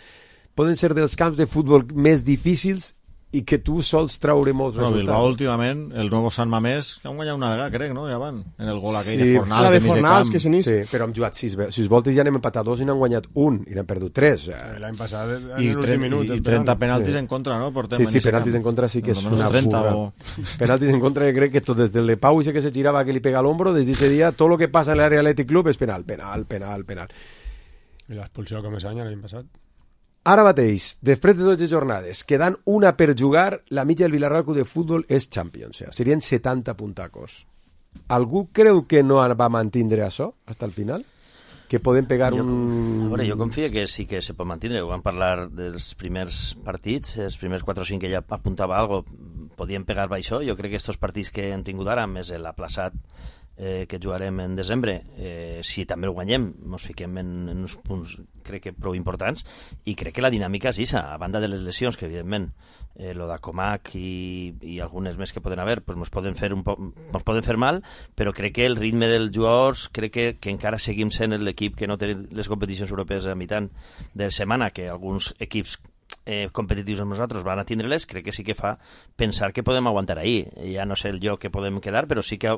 poden ser dels camps de futbol més difícils i que tu sols traure molts resultats.
Bilbao últimament, el nou Sant Mamés, que han guanyat una vegada, crec, no? Ja van, en el gol aquell de Fornals.
La de Fornals, que s'inís.
Sí, però han jugat 6 voltes i ja n'hem empatat 2 i n'han guanyat 1 i n'han perdut 3.
L'any passat, en l'últim minut.
I 30 penaltis en contra, no?
Sí, penaltis en contra sí que és una furra. Penaltis en contra, crec que tot des del de Pau i que se girava que li pega l'ombro, des d'aquest dia, tot el que passa en l'àrea Atlètic Club és penal.
I l'expulsió que Comesaña l'any passat.
Ara mateix, després de 12 jornades, quedant una per jugar, la mitja del Villarreal Club de Futbol és Champions. Serien 70 puntacos. Algú creu que no va mantindre això fins al final? Que poden pegar un...
A veure, jo confio que sí que se pot mantindre. Ho vam parlar dels primers partits, els primers 4 o 5 que ja apuntava algo, podien pegar per això. Jo crec que aquests partits que han tingut ara, més l'aplaçat que jugarem en desembre, si també el guanyem, ens fiquem en uns punts crec que prou importants, i crec que la dinàmica és aquesta, a banda de les lesions que evidentment lo de Comac i algunes més que poden haver pues ens poden fer mal, però crec que el ritme dels jugadors, crec que encara seguim sent l'equip que no té les competicions europees a mitjan de setmana, que alguns equips competitius amb nosaltres van a tindre-les, crec que sí que fa pensar que podem aguantar ahir. Ja no sé el lloc que podem quedar, però sí que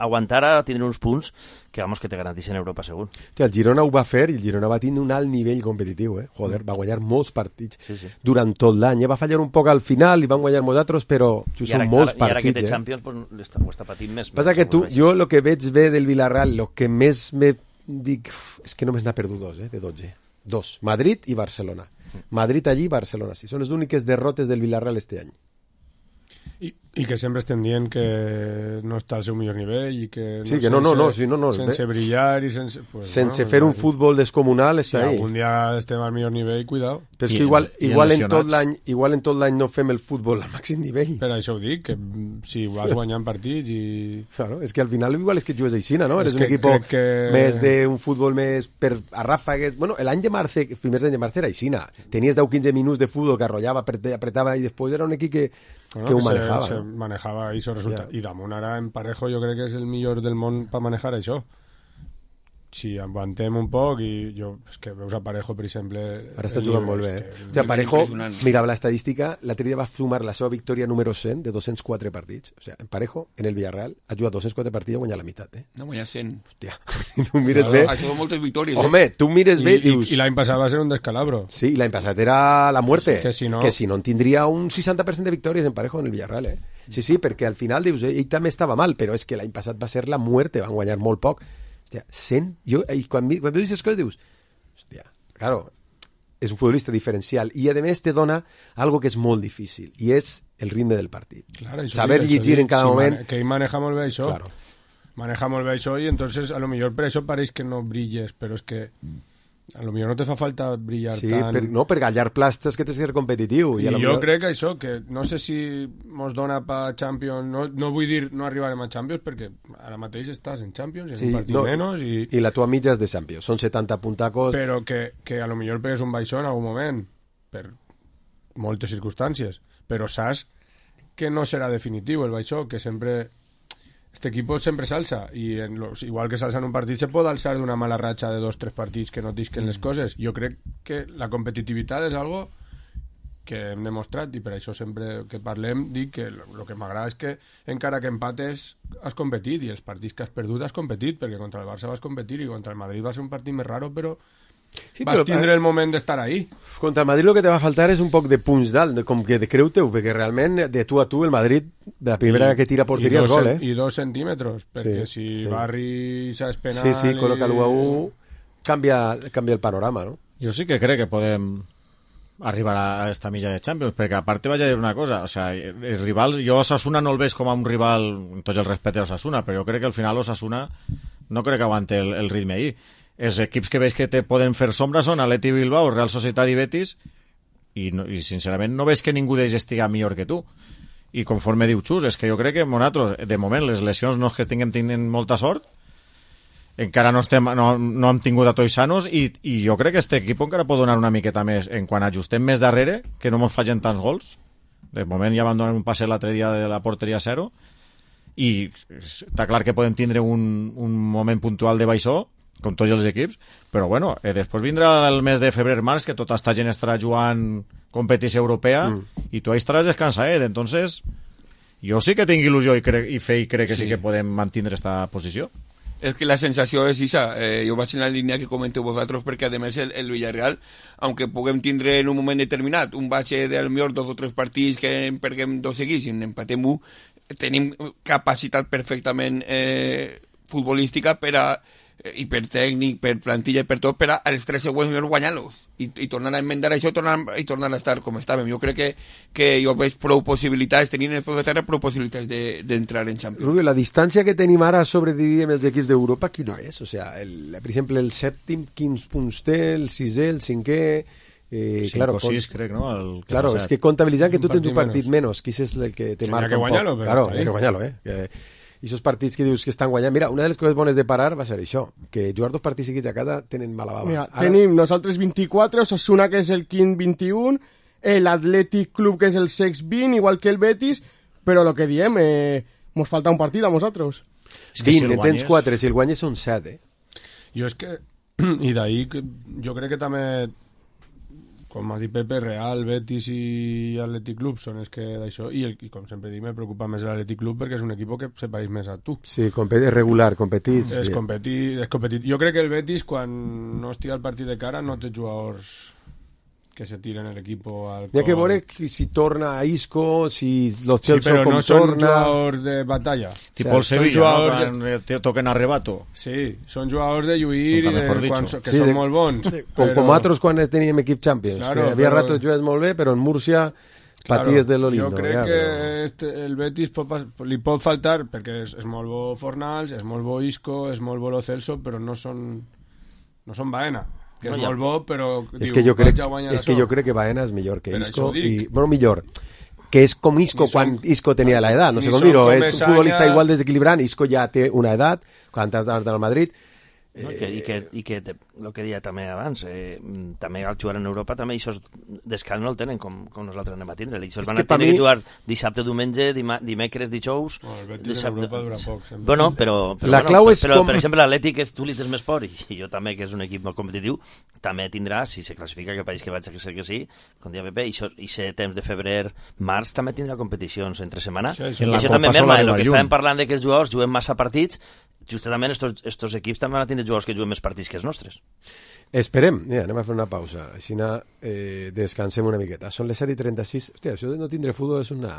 aguantar a tindre uns punts que vamos que te garanteixen Europa segur.
El Girona ho va fer i el Girona va tindre un alt nivell competitiu, Joder, va guanyar molts partits durant tot l'any, va fallar un poc al final i van guanyar molts altres, però són molts partits.
I ara que té Champions pues, ho està patint més.
Passa que jo el que veig bé del Villarreal, el que més me dic és que només n'ha perdut 2, de 12. 2, Madrid i Barcelona. Madrid allí, Barcelona sí. Són les úniques derrotes del Villarreal este any.
I que sempre estem dient que no està al seu millor nivell i que sense brillar i
sense fer un futbol descomunal
si algun dia estem al millor nivell, cuidao.
Però és que igual en tot l'any no fem el futbol al màxim nivell.
Per això ho dic, que si vas guanyant partits i...
Claro, és que al final igual és que jugues aixina, no? Eres un equip més d'un futbol més per a ràfegues. Bueno, l'any de Marce, els primers anys de Marce era aixina. Tenies 10-15 minuts de futbol que arrollava, apretava i després era un equip que ho manejava.
Se manejava això resultat. I damunt ara en Parejo jo crec que és el millor del món per manejar això. si aguantem un poc i jo, és que veus a Parejo, per exemple...
Ara està jugant molt bé. O sigui, Parejo, mirava l'estadística, l'altre dia va sumar la seva victòria número 100 de 204 partits. O sigui, en Parejo, en el Villarreal, ha jugat 204 partits i ha guanyat la meitat.
No, guanyat 100.
Hòstia, tu mires bé...
Això són moltes victòries.
Home, tu mires bé i dius...
I l'any passat va ser un descalabro.
Sí, l'any passat era la muerte.
Que si no
en tindria un 60% de victòries en Parejo en el Villarreal, Sí, perquè al final dius, ell també estava mal, però és que l'any passat va ser la muerte, van guanyar molt poc. Hòstia, 100... Quan veus aquestes coses dius, hòstia, claro, és un futbolista diferencial i a més te dona algo que és molt difícil i és el ritme del partit.
Claro,
saber llegir en cada moment...
Que ell maneja molt bé això.
Claro.
Maneja molt bé això i entonces a lo millor per això pareix que no brilles, però és que a lo millor no te fa falta brillar tant...
No, per gallar plastes que tens que ser competitiu.
I jo crec que això, que no sé si mos dona pa Champions, no vull dir no arribarem a Champions, perquè ara mateix estàs en Champions, en un partit menys...
I la tua mitja és de Champions, són 70 puntacos...
Però que a lo millor pegues un baixó en algun moment, per moltes circumstàncies, però saps que no serà definitiu el baixó, que sempre... Este equipo sempre s'alça i igual que s'alça en un partit se pot alçar d'una mala ratxa de 2-3 partits que no tisquen les coses. Jo crec que la competitivitat és algo que hem demostrat i per això sempre que parlem dic que el que m'agrada és que encara que empates has competit i els partits que has perdut has competit, perquè contra el Barça vas competir i contra el Madrid va ser un partit més raro, però vas tindre el moment d'estar ahí.
Contra el Madrid lo que te va faltar és un poc de punts dalt, com que de creu-teu, perquè realment de tu a tu el Madrid, de la primera que tira porteria és gol,
I 2 centímetres, perquè si Barri s'ha penal...
Sí, col·loca-lo a 1, canvia el panorama, no?
Jo sí que crec que podem arribar a esta milla de Champions, perquè a part vaig a dir una cosa, o sea, els rivals, jo Osasuna no el veig com a un rival, amb tot el respecte a Osasuna, però jo crec que al final Osasuna no crec que aguante el ritme ahí. Els equips que veig que te poden fer sombra són Atleti Bilbao, Real Societat i Betis i sincerament no veig que ningú d'ells estigui millor que tu. I conforme diu Xus, és que jo crec que nosaltres, de moment, les lesions no és que tinguem molta sort, encara no hem tingut a tots sanos i jo crec que aquest equip encara pot donar una miqueta més en quan ajustem més darrere, que no ens fallen tants gols. De moment ja van donar un passet l'altre dia de la porteria 0 i està clar que podem tindre un moment puntual de baixó com tots els equips, però bueno, després vindrà el mes de febrer-març que tota esta gent estarà jugant competició europea i tu ahí estaràs descansadet, entonces jo sí que tinc il·lusió i crec que sí que podem mantenir esta posició.
És que la sensació és això, jo vaig en la línia que comenteu vosaltres, perquè a més el Villarreal, aunque puguem tindre en un moment determinat un batxe de millor 2 o 3 partits que en perguem 2 seguits i en empatem 1, tenim capacitat perfectament futbolística per a i per tècnic, per plantilla i per tot, per als 3 següents millors guanyar-los i tornar a enmendar això i tornar a estar com estàvem. Jo crec que jo veig prou possibilitats, tenint el de terra prou possibilitats d'entrar en Champions.
Rubio, la distància que tenim ara sobre dividir els equips d'Europa, quina és? O sea, per exemple, el sèptim, quins punts té, el sisè, el cinquè...
5 o 6, crec, no?
Claro, és que comptabilitzant que tu tens un partit menys, qui és el que te marca un poc. Claro, hay que guanyar-lo, i aquests partits que dius que estan guanyant... Mira, una de les coses bones de parar va ser això, que jugar 2 partits seguits a casa tenen mala bava.
Mira, tenim nosaltres 24, Osasuna, que és el quint 21, l'Atlètic Club, que és el sext 20, igual que el Betis, però el que diem, mos falta un partit a nosaltres.
20, en tens 4, si el guanyes són 7,
Jo és que... I d'ahí jo crec que també... Com ha dit Pepe, Real, Betis i Atlètic Club són els que d'això, i com sempre dic, me preocupa més l'Atlètic Club perquè és un equip que se pareix més a tu.
Sí, és regular, competit.
És competit. Jo crec que el Betis, quan no estigui al partit de cara, no té jugadors que se tiren l'equip al cor.
Hi ha que veure si torna a Isco, si los Chelsea
però
com
no són
torna...
jugadors de batalla.
Tipo el Sevilla, no? Te toquen arrebato.
Sí, són jugadors de lluir i que són molt bons.
Com nosaltres quan teníem equip Champions, claro, que havia ratos jugues molt bé, però en Múrcia paties de lo lindo.
Jo crec que el Betis li pot faltar, perquè és molt bo Fornals, és molt bo Isco, és molt bo Lo Celso, però no són Baena. Que és molt bo, però
és que jo crec que Baena és millor que Isco i, bueno, millor que és com Isco quan Isco tenia l'edat, no sé com dir-ho, és un futbolista igual desequilibrant. Isco ja té una edat, quan has d'anar al Madrid,
I que el que deia també abans, també al jugar en Europa també això descans no el tenen com nosaltres anem a tindre. Això van a tenir que jugar dissabte, diumenge, dimecres, dijous...
El Betis en Europa dura poc.
Bueno, però per exemple l'Atlètic tu li tens més por i jo també, que és un equip molt competitiu, també tindrà, si se classifica que país que vaig a ser que sí, com dia Pepe, i ser temps de febrer, març també tindrà competicions entre setmana. I això també merma, el que estàvem parlant de que els jugadors juguen massa partits, justament estos equips també van a tindre jugadors que juguen més partits que els nostres.
Esperem. Mira, anem a fer una pausa. Així descansem una miqueta. Són les 7:36. Hòstia, això de no tindre futbol és una...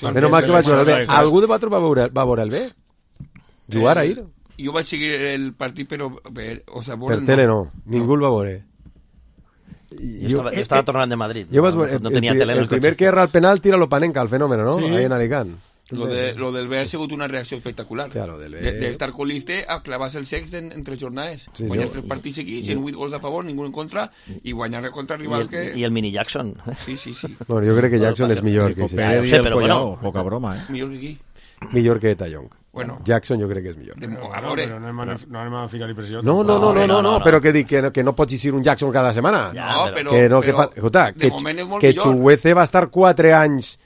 Menos mal que vaig veure el bé. Algú de vosaltres va veure el bé? Jugar ahir?
Jo vaig seguir el partit, però...
Per tele no. Ningú el va veure.
Jo estava tornant de Madrid.
No tenia tele. El primer que erra el penal tira lo Panenka, el fenómeno, ¿no? Ahí en Alicant.
Lo del B ha sigut una reacció espectacular.
Claro,
d'estar coliste a clavar-se el sex en 3 jornades. Guanyar 3 partits seguits, 108 gols a favor, ningú en contra, i guanyar contra rivals que...
I el mini Jackson.
Sí.
Bueno, jo crec que Jackson és millor que ese.
Però bueno, poca broma,
Millor que qui?
Millor que Tallong.
Bueno,
Jackson jo crec que és millor.
Però no anem a ficar-li pressió.
No, però que dic que no pots dir un Jackson cada setmana. Que Chuguece va estar 4 anys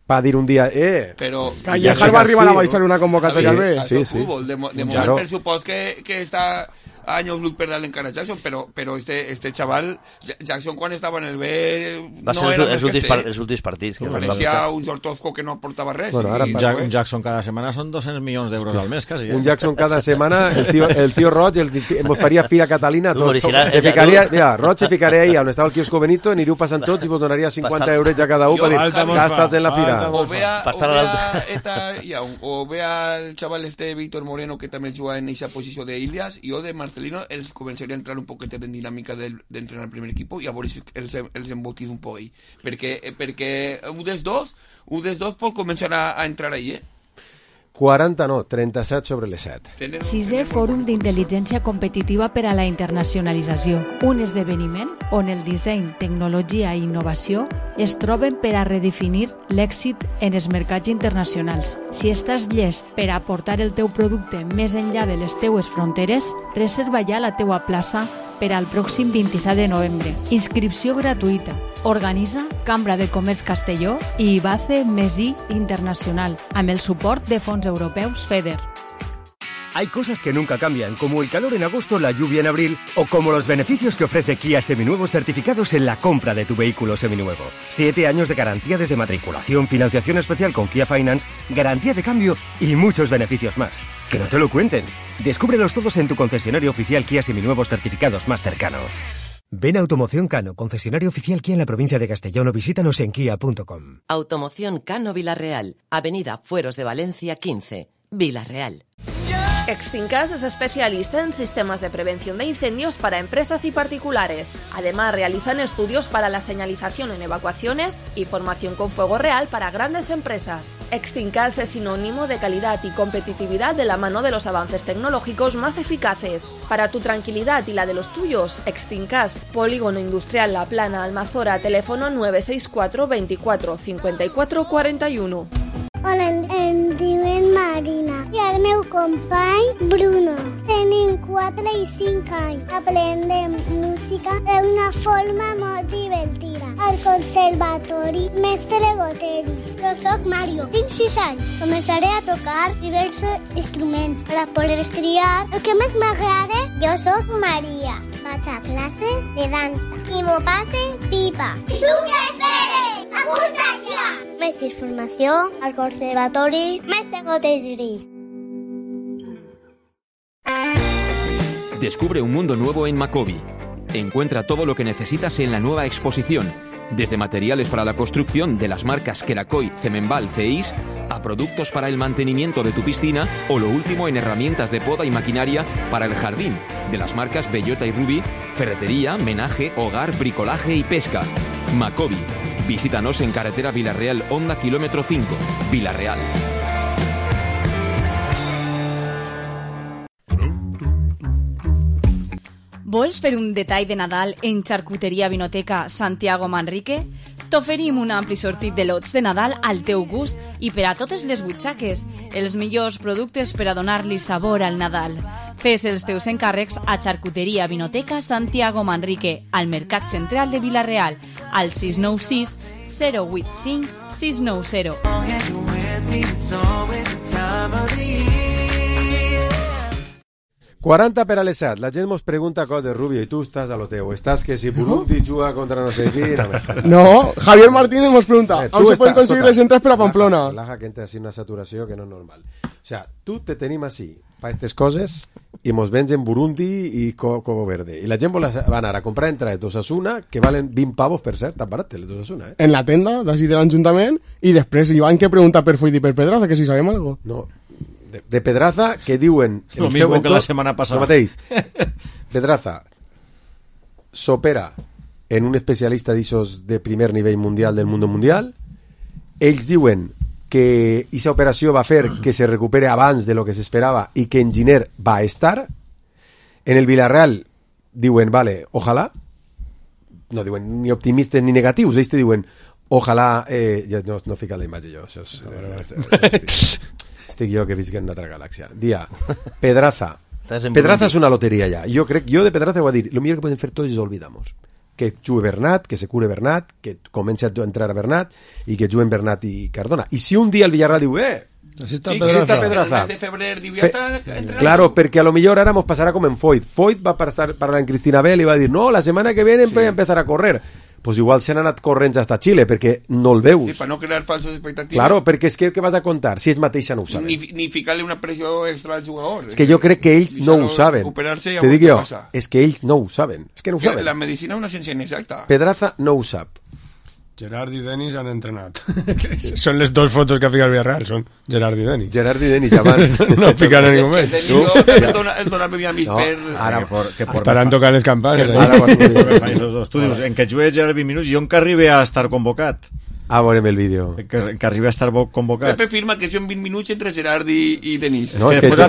va dir un dia,
Però...
Callejar va arribar a baixar una convocatòria al B.
Sí. De moment, per supòs que està años luz per darle encara a Jackson, però este chaval, Jackson quan estava en el B
va ser els últims partits
que parecía un Jortozco que no aportava res.
Bueno, ara un Jackson cada setmana són 200 milions d'euros al mes quasi.
Un Jackson cada setmana, el tío Roig ens faria Fira Catalina tots. Roig se ficaria ahí on estava el quiosco Benito, aniríeu passant tots i vos donaria 50 euros a cada un per dir, gastas en la fira.
O vea el chaval Víctor Moreno que també juga en esa posició d'Ilias, i jo de Marcelino els començaria a entrar un poquet en dinàmica d'entrenar el primer equip i a veure si els embotis un poc ahí. Perquè un dels dos pot començar a entrar ahí,
40 no, 37 sobre les 7.
6è Fòrum d'Intel·ligència Competitiva per a la Internacionalització, un esdeveniment on el disseny, tecnologia i innovació es troben per a redefinir l'èxit en els mercats internacionals. Si estàs llest per a portar el teu producte més enllà de les teues fronteres, reserva ja la teua plaça per al pròxim 27 de novembre. Inscripció gratuïta. Organitza Cambra de Comerç Castelló i IBACE Mesí Internacional, amb el suport de fons europeus FEDER.
Hay cosas que nunca cambian, como el calor en agosto, la lluvia en abril, o como los beneficios que ofrece Kia Seminuevos certificados en la compra de tu vehículo seminuevo. 7 años de garantía desde matriculación, financiación especial con Kia Finance, garantía de cambio y muchos beneficios más. Que no te lo cuenten. Descúbrelos todos en tu concesionario oficial Kia Seminuevos certificados más cercano. Ven a Automoción Cano, concesionario oficial Kia en la provincia de Castellón, o visítanos en kia.com.
Automoción Cano Vilarreal, Avenida Fueros de Valencia 15, Vilarreal.
Extincas es especialista en sistemas de prevención de incendios para empresas y particulares. Además, realizan estudios para la señalización en evacuaciones y formación con fuego real para grandes empresas. Extincas es sinónimo de calidad y competitividad de la mano de los avances tecnológicos más eficaces. Para tu tranquilidad y la de los tuyos, Extincas, Polígono Industrial La Plana, Almazora, teléfono 964 24 54 41.
Hola, em diuen Marina i el meu company Bruno. Tenim 4 i 5 anys. Aprendem música d'una forma molt divertida. Al conservatori Mestre Goteris. Jo soc Mario, tinc 6 anys. Començaré a tocar diversos instruments per a poder triar el que més m'agrada. Jo soc Maria. Vaig a classes de dansa i m'ho passe pipa. I tu què esperes? Apunta't ja! Més informació al Conservatori Mestre Goteris.
Descubre un mundo nuevo en Macobi. Encuentra todo lo que necesitas en la nueva exposición, desde materiales para la construcción de las marcas Kerakoy, Cemenbal, Ceis, a productos para el mantenimiento de tu piscina o lo último en herramientas de poda y maquinaria para el jardín, de las marcas Bellota y Ruby, ferretería, menaje, hogar, bricolaje y pesca. Macobi. Visítanos en carretera Vilarreal, Honda, kilómetro 5, Vilarreal.
Vols fer un detall de Nadal en Charcuteria Vinoteca Santiago Manrique?
T'oferim un ampli sortit de lots de Nadal al teu gust i per a totes les butxaques, els millors productes per a donar-li sabor al Nadal. Fes els teus encàrrecs a Xarcuteria Vinoteca Santiago Manrique, al Mercat Central de Vila-real, al 696 085 690.
40 per a les 7. La gent mos pregunta coses, Rubio, i tu estàs a lo teu. Estàs que si Burundi juga contra no sé qui...
No, Javier Martínez nos pregunta, ¿aún se pueden conseguir les entradas per a Pamplona?
Laja que entra así una saturació que no és normal. O sea, tu te tenim així, pa aquestes coses, i mos vengen Burundi i Cobo Verde. I la gent va anar a comprar entrades d'Osasuna, que valen 20 pavos, per cert, tan barat, les d'Osasuna,
En la tenda, d'ací de l'Ajuntament, i després Iván que pregunta per Foyt i per Pedraza, que si sabem algo.
No, de Pedraza, que diuen...
Lo mismo que la semana pasada.
Lo mateix. Pedraza s'opera en un especialista d'ixos de primer nivell mundial del mundo mundial. Ells diuen que aquesta operació va fer que se recupere abans de lo que s'esperava i que en Giner va estar. En el Villarreal diuen, vale, ojalà. No diuen ni optimistes ni negatius. Ells te diuen, ojalà... ja no fica la imatge jo. Això és... Estic jo que visc en una altra galàxia. Dia, Pedraza. Pedraza és una loteria ja. Jo de Pedraza ho a dir, lo millor que podem fer tots és olvidamos. Que jugui Bernat, que se cure Bernat, que comenci a entrar a Bernat i que juguen Bernat i Cardona. I si un dia el Villarreal diu,
així
està
Pedraza.
El mes de febrer diu ja està...
Claro, perquè a lo millor ara mos passarà com en Foyt. Foyt va parlar en Cristina Bell i va dir, no, la setmana que viene voy a empezar a correr. Pues igual se han anat corrents hasta Xile, perquè no el veus.
Sí, per no crear falsos expectatives.
Claro, perquè és que què vas a contar si ells mateixa no ho saben?
Ni ficar-li una pressió extra al jugador.
És que jo crec que ells no ho saben. Te dic jo, és que ells no ho saben. És que no ho saben.
La medicina és una ciència inexacta.
Pedraza no ho sap.
Gerard i Denis han entrenat. Són les dos fotos que ha ficat el Villarreal, són Gerard i Denis.
Gerard i Denis, abans.
No fican a ningú més.
El donava a mis per...
Estaran tocant les campanes.
Tu dius, en què jugué Gerard 20 minuts, jo en que arribi a estar convocat.
Ah, veurem el vídeo.
Que arribi a estar convocat.
Pepe firma que són 20 minuts entre Gerard i Denis.
No, és que
després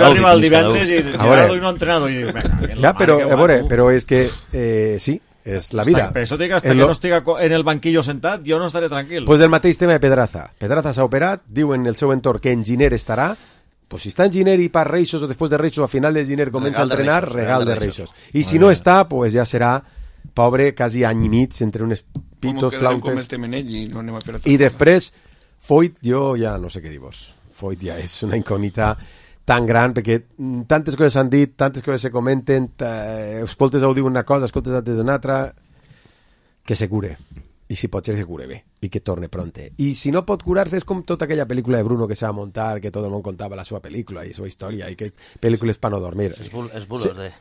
arriba el divendres i Gerard no ha entrenat.
Ja, però és que sí, és la vida.
Per això dic, hasta que no estiga en el banquillo sentat, jo no estaré tranquil.
Pues el mateix tema de Pedraza. Pedraza s'ha operat, diu en el seu entorn que en Giner estarà, pues si està en Giner i per Reixos o després de Reixos a final de Giner comença a entrenar, regal de Reixos. I si no està, pues ja serà pobre, quasi any i mig, entre unes pitos, flautes. I després, Foyt, jo ja no sé què dir-vos. Foyt ja és una incògnita tan gran, perquè tantes coses s'han dit, tantes coses se comenten, escoltes ho diu una cosa, escoltes altres una altra, que se cure. I si pot ser que cure bé, i que torne pronte. I si no pot curar-se, és com tota aquella pel·lícula de Bruno que s'ha de muntar, que tot el món contava la seva pel·lícula i la seva història, i que pel·lícules per no dormir.
És bulos de...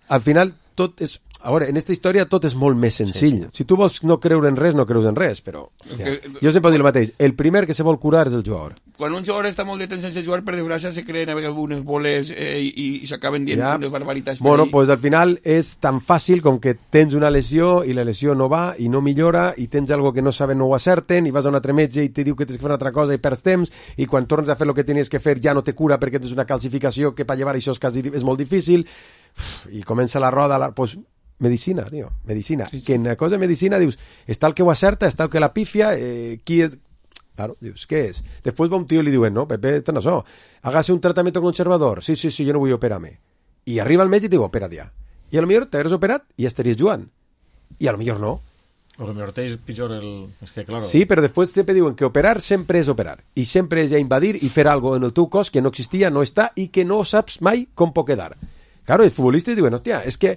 Al final, tot és... A veure, en aquesta història tot és molt més senzill. Si tu vols no creure en res, no creus en res, però... Jo sempre dic el mateix, el primer que se vol curar és el jugador.
Quan un jugador està molt de temps sense jugar, per desgràcia se creen algunes boles i s'acaben dient unes barbaritats.
Bueno, pues al final és tan fàcil com que tens una lesió i la lesió no va i no millora i tens algo que no saben, no ho acerten i vas a un altre metge i te diu que tens que fer una altra cosa i perds temps i quan tornes a fer el que tenies que fer ja no te cura perquè tens una calcificació que per llevar això és molt difícil i comença la roda, pues medicina, tio, medicina. Sí. Que en la cosa de medicina dius, està el que ho acerta, està el que la pifia, qui és... Claro, dius, què és? Després va un tio i li diuen, no, Pepe, esto no so, hágase un tratamiento conservador. Sí, yo no vull operar-me. I arriba el metge i diu, opera't ja. I a lo millor t'hagués operat i ja estaries jugant. I a lo millor no.
A lo millor t'és pitjor el... És que, claro...
Sí, però després sempre diuen que operar sempre és operar. I sempre és ja invadir i fer algo en el teu cos que no existia, no està i que no saps mai com pot quedar. Claro, els futbolistes diuen, hòstia, és que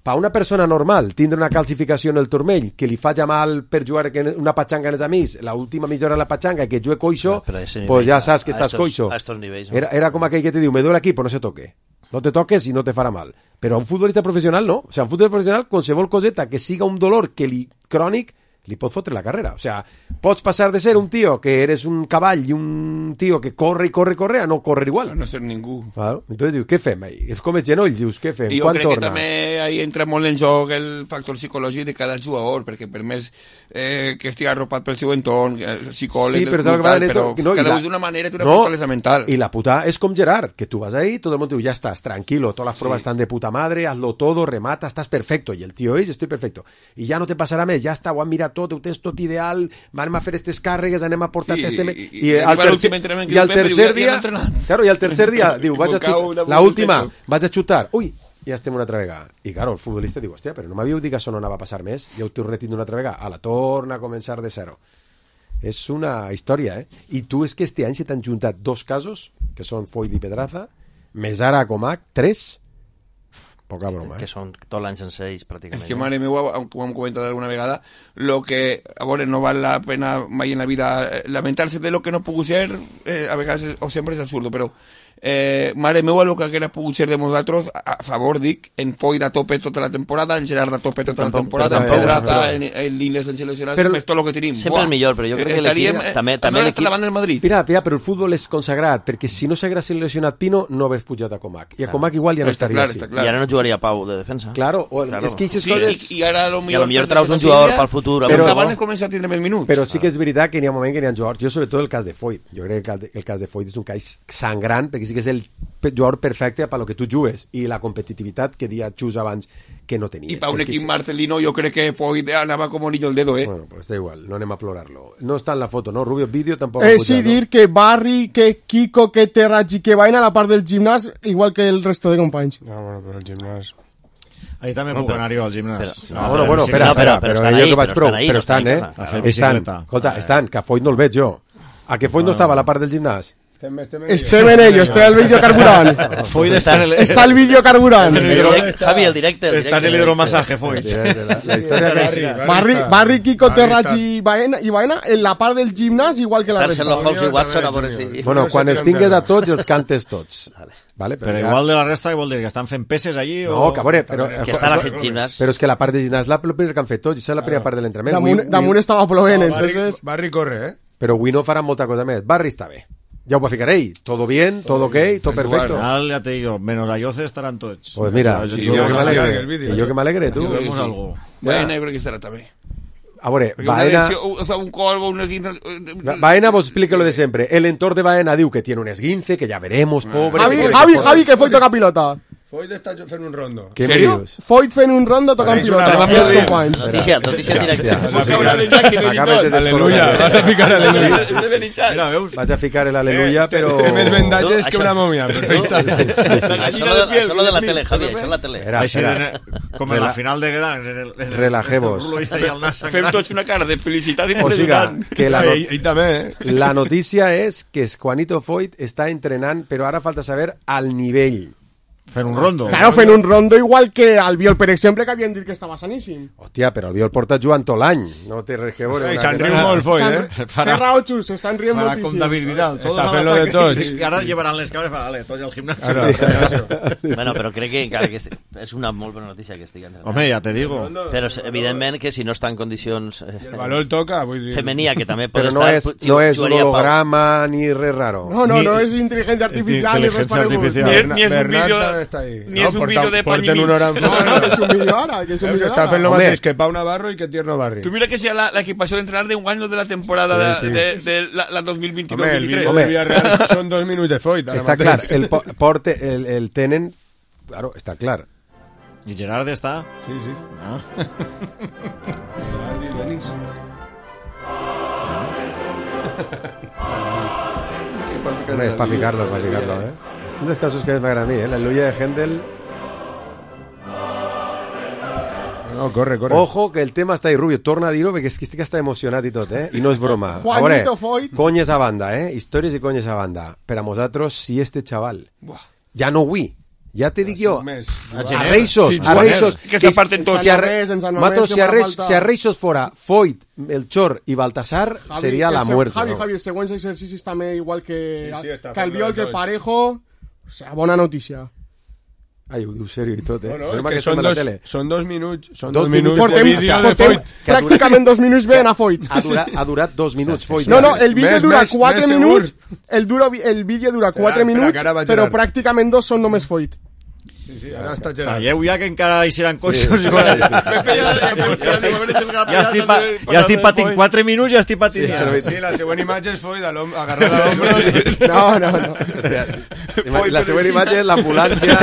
per una persona normal tindre una calcificació en el turmell que li faci mal per jugar una patxanga en els amics, l'última millora de la patxanga que jugue coixo, pues ja saps que estàs coixo. Era com aquell que te diu, me duele aquí, pues no se toque. No te toques i no te farà mal. Però a un futbolista professional no. O sea, a un futbolista professional, qualsevol coseta que siga un dolor que li crònic, li pot fotre la carrera. O sea, pots passar de ser un tío que eres un cavall i un tío que corre i corre a no correr igual.
A no ser ningú.
Claro. Entonces dius, què fem? És com els genolls, dius, què fem?
I jo crec que també ahí entra molt en joc el factor psicològic de cada jugador, perquè per més que estigui arropat pel seu entorn, psicòleg,
sí, però
cada d'una manera té una fortalesa mental.
I la puta és com Gerard, que tu vas ahí, tot el món diu, ja estàs, tranquilo, todas las pruebas están de puta madre, hazlo todo, remata, estás perfecto. Y el tío, estoy perfecto. Y ya no te pasará més, ya está, ho han mirat tot, ho tens tot ideal, anem a fer aquestes càrregues, anem a portar...
I al
tercer dia... Claro, i al tercer dia diu, vaig a xutar, la última, vaig a xutar, ui, ja estem una altra vegada. I claro, el futbolista diu, hòstia, però no m'havíeu dit que això no anava a passar més? Ja ho torno una altra vegada. A la torna a començar de zero. És una història, eh? I tu és que este any se t'han juntat 2 casos, que són Foyt i Pedraza, més ara Comac, 3, poca broma,
que són tot l'any sense ells, pràcticament.
És que, mare meva, com hem comentat alguna vegada, lo que, a veure, no val la pena mai en la vida lamentar-se de lo que no ha pogut ser, a vegades, o sempre és absurdo, però mare meva, el que haguera pogut ser de nosaltres, a favor, dic, en Foyt a tope tota la temporada, en Gerard a tope tota la temporada, en Pedraza, en l'Inles, en seleccionats, més tot el que tenim.
Sempre el millor, però jo crec que l'equip... També
l'equip... la banda del Madrid.
Mira, però el futbol és consagrat, perquè si no s'hagués seleccionat Pino, no hagués pujat a Comac. I a Comac igual ja no estaria així.
I ara no jugaria Pau de defensa.
Claro, és que aquestes coses...
I ara
a lo millor traus un jugador pel futur.
Però abans comença a tindre més minuts.
Però sí que és veritat que n'hi ha un moment que n'hi ha jugadors. Jo, sobretot, el cas de Foyt. Jo crec que el cas de Foyt és un cas sangrant, perquè sí que és el jugador perfecte per lo que tu jugues i la competitivitat que dia xus abans que no tenia.
I per un equip marcelino jo crec que Foyt anava com niño el dedo,
Bueno, pues da igual, no anem a plorarlo. No està en la foto, ¿no? Rubio, vídeo tampoc.
Sí, dir que Barry, que Kiko, que Terrachi, que Baena a la part del gimnàs, igual que el resto de companys.
No, bueno, però el gimnàs...
Ahí també puc anar jo al gimnàs.
Bueno, espera, però jo que vaig prou. Però estan, Estan, escolta, estan, que a Foyt no el veig jo. A que Foyt no estava a la part del gimnàs?
Estem en ello, està el vídeo carburant. Està el vídeo carburant.
Javi, el directe.
Està en el hidromasaje, Foyt.
Barry, Kiko, Terrachi i Baena en la part del gimnàs, igual que la resta.
Sherlock Holmes i Watson, a veure si...
Bueno, quan els tingues a tots, els cantes tots. Vale,
però igual de la resta, què vol dir? Que estan fent peces allí?
No, que a veure, però...
Que estan a fet gimnàs.
Però és que la part de gimnàs la primera que han fet tots, i és la primera part de l'entrenament.
Damunt estava plovent, entonces...
Barry corre,
Però avui no farà molta cosa més. Barry està bé. Ya va a ficar ahí, todo bien, todo ok, todo perfecto.
Bueno, ya te digo, menos a Yoce estarán todos.
Pues mira, yo que me alegre, tú.
Vemos algo.
Baena creo que estarà també.
A veure, Baena... Baena vos explique lo de siempre. El entorn de Baena diu que tiene un esguince, que ya veremos, pobre...
Javi, que Foyt toca pilota.
Foyt està fent un rondo.
Què me dius?
Foyt fent un rondo tocant pilota.
Notícia directa.
Aleluya,
vas a ficar aleluya.
Vaig a ficar el aleluya, però...
Té més vendatges que una mòmia.
Això lo de la tele, Javi, això és la tele.
Com en la final de Gran.
Relajemos.
Fem tots una cara de felicitat i
o siga, que
la
notícia és que Juanito Foyt està entrenant, però ara falta saber al nivell.
Fent un rondo.
Claro, fent un rondo igual que Albiol, per exemple, que havien dit que estava saníssim.
Hòstia, però Albiol porta jugant tot l'any. No té res que veure.
Se'n riu molt, Foyt,
Té raó, Xus, s'estan rient moltíssim.
Farà com David Vidal.
Està fent lo de tots.
Ara llevaran les cabres, vale, tots al gimnasio.
Bueno, però crec que és una molt bona notícia que estic entrenant.
Home, ja te digo.
Però evidentment que si no està en condicions...
El valor toca, vull dir...
Femenia, que també pot
estar... Però no és un holograma ni res raro.
No és intel·ligència artificial ni res paregut.
Ni és un vídeo de Panini.
No, és un vídeo ara.
Està fent lo mateix que Pau Navarro i que Tierno Barri.
Tu mira que sea la equipació d'entrenar d'un any de la temporada de la 2022-2023.
Home, el vídeo de Villarreal són 2 minuts de Foyt.
Està clar, el tenen... Claro, està clar.
I Gerard està?
Sí. Gerard i Denis.
Es para ficarlo, Son dos casos que me agradan a mí, la aleluya de Händel.
No, corre.
Ojo, que el tema està ahí, Rubio. Torna a dir-ho, perquè és que estic hasta emocionat i tot, I no és broma.
Juanito Foyt.
Conyes a banda, Històries i conyes a banda. Per a nosaltres, si este chaval ja no vull, ja te dic jo, a Reixos,
que s'aparten tots.
Si a Reixos fora Foyt, Melchor i Baltasar, seria la muerte.
Javi, els següents exercicis també, igual que Albiol, que Parejo, o sea, bona notícia.
Ai, ho diu sèrio i tot,
No, que són 2 minuts. Són
2 minuts
de vídeo de Foyt. Pràcticament 2 minuts veien a Foyt.
Ha durat 2 minuts, Foyt.
No, el vídeo dura 4 minuts. El vídeo dura 4 minuts, però pràcticament 2 són només Foyt.
Sí, ara està Gerard.
Talleu ja que encara hi seran coixos. Ja estic patint 4 minuts, ja estic patint.
Sí, la següent imatge és Foyt agarrat a l'ombros.
No.
La següent imatge és l'ambulància.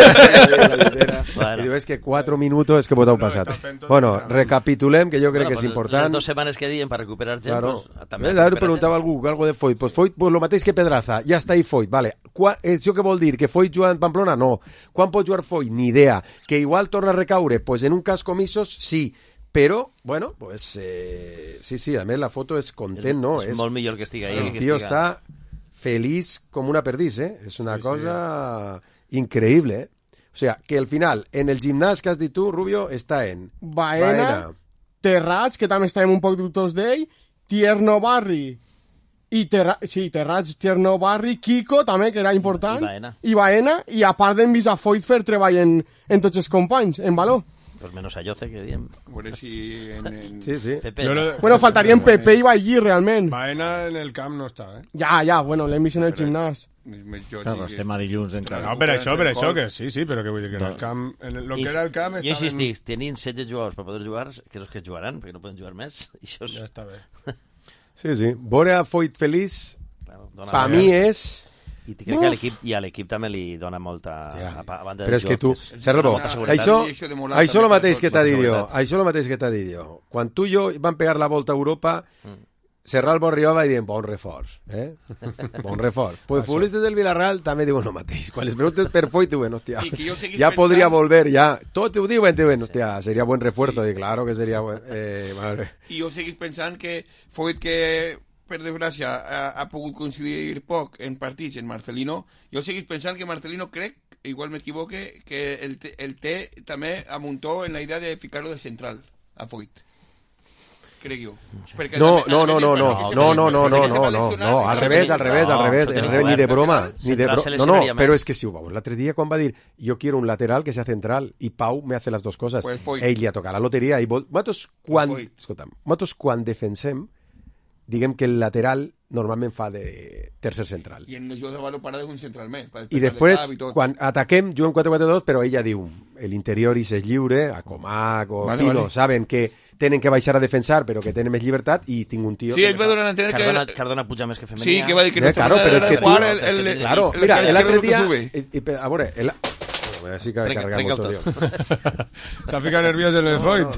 I diu, és que 4 minuts que vos heu passat. Bueno, recapitulem, que jo crec que és important.
Les 2 setmanes que diem per recuperar gent,
claro.
pues, també...
Ara preguntava algú algo de Foyt. Pues Foyt, pues lo mateix que Pedraza. Ja està ahí Foyt, vale. Això què vol dir? Que Foyt juga en Pamplona? No. Quan pot jugar Foyt? Ni idea. Que igual torna a recaure? Pues en un cas com Isos, sí. Però, bueno, pues sí, a més la foto és content, no?
És molt millor que estigui ahí.
El tio està feliç com una perdiz, És una cosa increïble, O sea, que al final, en el gimnàs que has dit tu, Rubio, està en
Baena, Terrats, que també estàvem un poc dubtors d'ell, Tierno Barri, Terrats, Tierno Barri, Kiko, també, que era important, i Baena, i a part d'en vist a Foyt fer treball en tots els companys, en valor.
Pues menos a Yoce, que diem.
Bueno, si
Sí.
Pepe.
Bueno, faltarien Pepe i Ballí, realment.
Baena en el camp no està,
Ja, bueno, l'hem vist en el gimnàs.
Claro, estem a dilluns encara.
No, per això, que sí, però que vull dir que en el camp... En lo que era el camp...
Jo insistic, tenint 16 jugadors per poder jugar, que és els que jugaran, perquè no poden jugar més, i això
ja està bé.
Sí. Veure a Foyt feliç, per mi és...
I crec que a l'equip també li dona molta... A banda
però és que tu, Serrabo, això el mateix que t'ha dit jo. Quan tu i jo vam pegar la volta a Europa, Serral Borrió va dir, bon reforç, bon reforç. Pues futbolistes del Villarreal també diuen el mateix. Quan les preguntes per Foyt, diuen, hòstia, ja podria volver, ja. Tots ho diuen, hòstia, seria buen refuerzo. I claro que seria buen...
I jo seguís pensant que Foyt, que per desgràcia ha pogut coincidir poc en partits en Marcelino, jo seguís pensant que Marcelino crec, igual m'equivoque, que el té també amuntó en la idea de ficar-lo de central a Foyt. Crec jo.
No, al revés, ni de broma. No, però és que si ho veus, l'altre dia quan va dir jo quiero un lateral que sea central i Pau me hace las dos cosas, ell li ha tocat la loteria i nosaltres quan defensem diguem que el lateral normalment fa de tercer central.
I en els jocs de valor parades un central més.
I després, quan ataquem, juguem 4-4-2, però ella diu, l'interior és lliure, a Comac o Pino, saben que tenen que baixar a defensar, però que tenen més llibertat, i tinc un tio...
Sí, ell va donar a entendre
que... Cardona puja més que Femenia.
Sí, que va dir que no
claro, però és que tu... Claro, mira, l'altre dia... A veure, sí que ha carregat molt, tio.
S'ha ficat nerviós en el Foyt.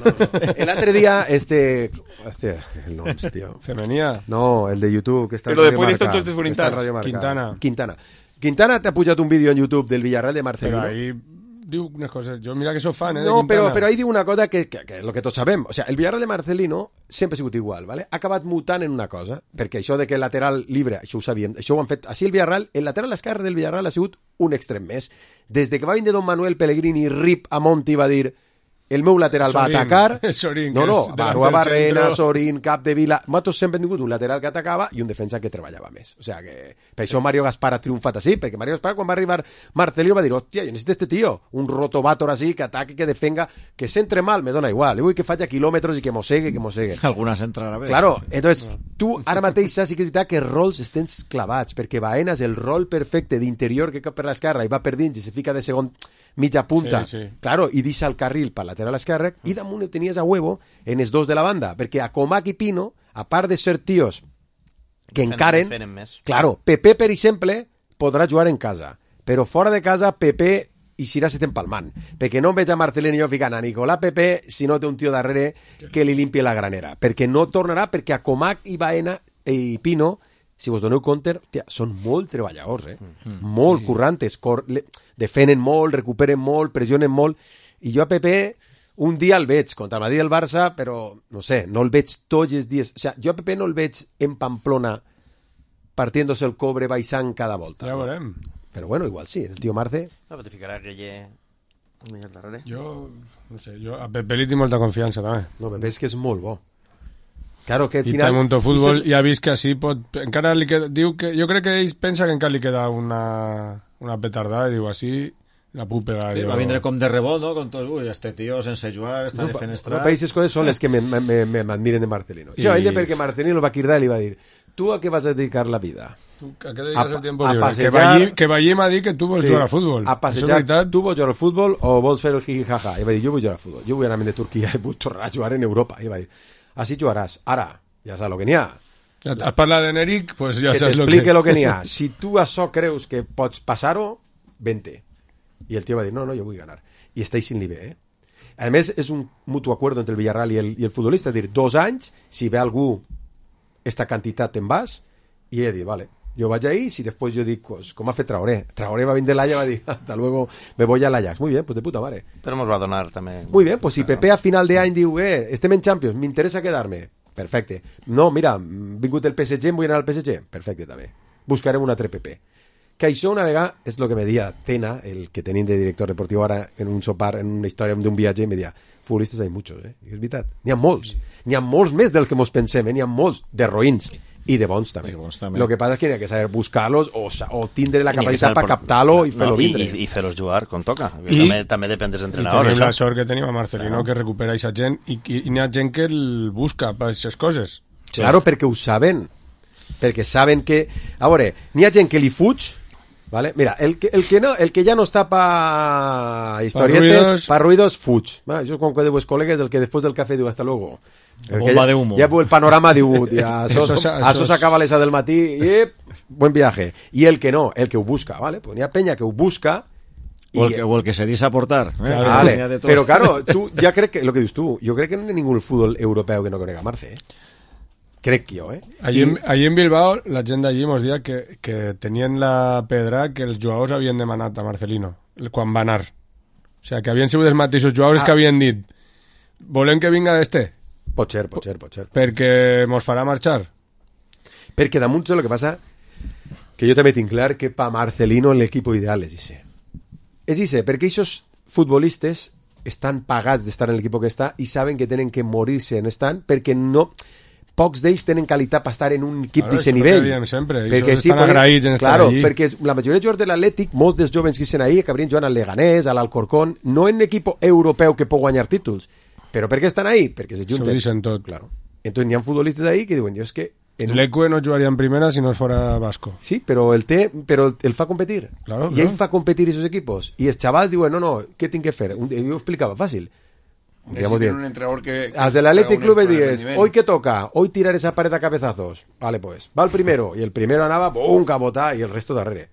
L'altre dia, el nom, tio.
Femenia.
No, el de YouTube, que està
en Radio
Marca. Quintana t'ha pujat un vídeo en YouTube del Villarreal de Marcelino.
Però ahí diu unes coses. Jo mira que soc fan,
No, però ahí diu una cosa que és el que tots sabem. O sea, el Villarreal de Marcelino sempre ha sigut igual, ¿vale? Ha acabat mutant en una cosa, perquè això de que el lateral libre, això ho sabíem, això ho han fet. Així el Villarreal, el lateral esquerre del Villarreal ha sigut un extrem més. Des de que va vindre Don Manuel Pellegrini, Rip a Monti va dir el meu lateral va atacar.
Sorín,
Barua Barrena, Sorín, Capdevila... Nosaltres sempre hem tingut un lateral que atacava i un defensa que treballava més. O sea que... Per això Mario Gaspar ha triomfat així, perquè Mario Gaspar quan va arribar Marcelino va dir, hòstia, jo necessito este tío, un rotovator així, que ataque, que defenga, que s'entre mal, me dona igual, vull que faci quilòmetres i que mossegue.
Algunes entrarà bé.
Claro, entonces, tu ara mateix saps que és veritat que els rols estan clavats, perquè Baena és el rol perfecte d'interior que cap per l'esquerra i va per dins i se fica de segon mitja punta, claro, i deixa el carril per lateral esquerre, i damunt ho tenies a huevo en els dos de la banda, perquè a Comac i Pino, a part de ser tios que encaren, claro, Pepe, per exemple, podrà jugar en casa, però fora de casa Pepe i Sira s'estan palmant, perquè no veig a Marcelino i jo ficant a Nicolà Pepe si no té un tio darrere que li limpie la granera, perquè no tornarà, perquè a Comac i Baena i Pino, si vos doneu compte, són molt treballadors, molt currantes, defenen molt, recuperen molt, pressionen molt, i jo a Pepe un dia el veig contra el Madrid i el Barça, però no sé, no el veig tots els dies, o sea, jo a Pepe no el veig en Pamplona partiéndose el cobre baixant cada volta.
Ja veurem.
Però bueno, igual sí, el tio Marce...
No, però te ficarà Guille al darrere.
Jo, no sé, jo a Pepe li tinc molta confiança, també.
No, Pepe és que és molt bo. Claro que al
final... I també Monto Futbol ja ha vist que així pot... Encara li queda... Diu que... Jo crec que ell pensa que encara li queda una petardada, i diu, així la puc pegar.
Sí, va vindre com de rebot, no? Con tot, ui, este tio sense jugar, està defenestrat.
Països coses són les que m'admiren de Marcelino. Sí, va vindre perquè Marcelino el va cridar i li va dir, tu a què vas a dedicar la vida?
¿A qué dedicas el tiempo libre? Que Ballí m'ha dit que tu vols jugar al futbol.
A passejar, tu vols jugar al futbol o vols fer el jiji-jaja? I va dir, jo vull jugar al futbol. Jo vull anar de Turquia i vull tornar a jugar en Europa. I va dir, així jugaràs. Ara, ja saps el que n'hi ha.
Has parlat d'Eneric, pues ja saps
el que... Que t'explique el que n'hi ha. Si tu això creus que pots passar-ho, vente. Y el tío va a decir, no, yo voy a ganar. Y estáis sin nivel, ¿eh? Además, es un mutuo acuerdo entre el Villarreal y el futbolista. Es decir, 2 anys, si ve algú esta quantitat te'n vas, i ell diu, vale, jo vaig ahí, si després jo dic, pues, com ha fet Traoré va venir de l'Ajax, va dir, hasta luego, me voy a l'Ajax. Muy bien, pues de puta madre.
Però ens va donar també...
Muy bien, pues si Pepe a final de any diu, estem en Champions, m'interessa quedar-me, perfecte. No, mira, vingut el PSG, em vull anar al PSG, perfecte també. Buscarem un altre Pepe. Que això una vegada, és el que me deia Tena, el que tenim de director deportiu ara, en un sopar, en una història d'un viatge, me deia, futbolistes hi ha muchos, I és veritat, n'hi ha molts més del que mos pensem, n'hi ha molts de roïns i de bons també. Lo que passa és que n'hi ha que saber buscar-los o tindre la capacitat per captar-lo i fer-lo vindre.
I fer-los jugar com toca. També depèn dels
I
entrenadors.
tenim la sort que tenim a Marcelino, que recupera aquesta gent, i n'hi ha gent que el busca per aquestes coses.
Claro, perquè ho saben. Perquè saben que... A veure, n'hi ha gent que li fuig, ¿vale? Mira, el que ya no está para historietes, para ruidos, fuig. Això és com que dius col·legues, el que després del cafè diu hasta luego.
Bomba de humo.
Ja el panorama diu, això s'acaba a les 6 del matí i buen viaje. I el que no, el que ho busca, ¿vale? Pues n'hi ha penya que ho busca
o el que se dice aportar.
Vale. Pero claro, tú ya crees que, lo que dices tú, yo creo que no hay ningún fútbol europeo que no conega Marce, Crec jo,
Allí en Bilbao, la gent d'allí mos dia que tenien la pedra que els jugadors havien demanat a Marcelino quan va anar. O sigui, que havien sigut els mateixos jugadors que havien dit volem que vinga d'este.
Pot ser.
Perquè mos farà marxar.
Perquè damunt lo que passa que jo també tinc clar que pa Marcelino l'equip ideal és Ise. És Ise, perquè aquests futbolistes estan pagats d'estar en l'equip que està i saben que tenen que morir-se en estant perquè no... Pocs d'ells tenen qualitat per estar en un equip d'aquest nivell.
Perquè estan agraïts en estar allí.
Perquè la majoria de jugadors de l'Atlètic, molts dels jovens que estan ahí, acabarien jugant al Leganés, a l'Alcorcón, no en equip europeu que pot guanyar títols. Però per què estan ahí? Perquè se junten.
S'ho dicen tot.
Claro. Entonces n'hi ha futbolistes ahí que diuen, jo és que...
L'Ecue no jugaria en primera si no fora Vasco.
Sí, però el fa competir.
Claro,
I ell fa competir esos equipos. I els xavals diuen, no, què tinc que fer? Jo ho explicava fàcil. Digamos bien.
Un entrenador que
As del Athletic Club dices, hoy que toca, hoy tirar esa pared a cabezazos. Vale, pues, va el primero, y el primero anava, ¡bum!, cabota, y el resto darrere.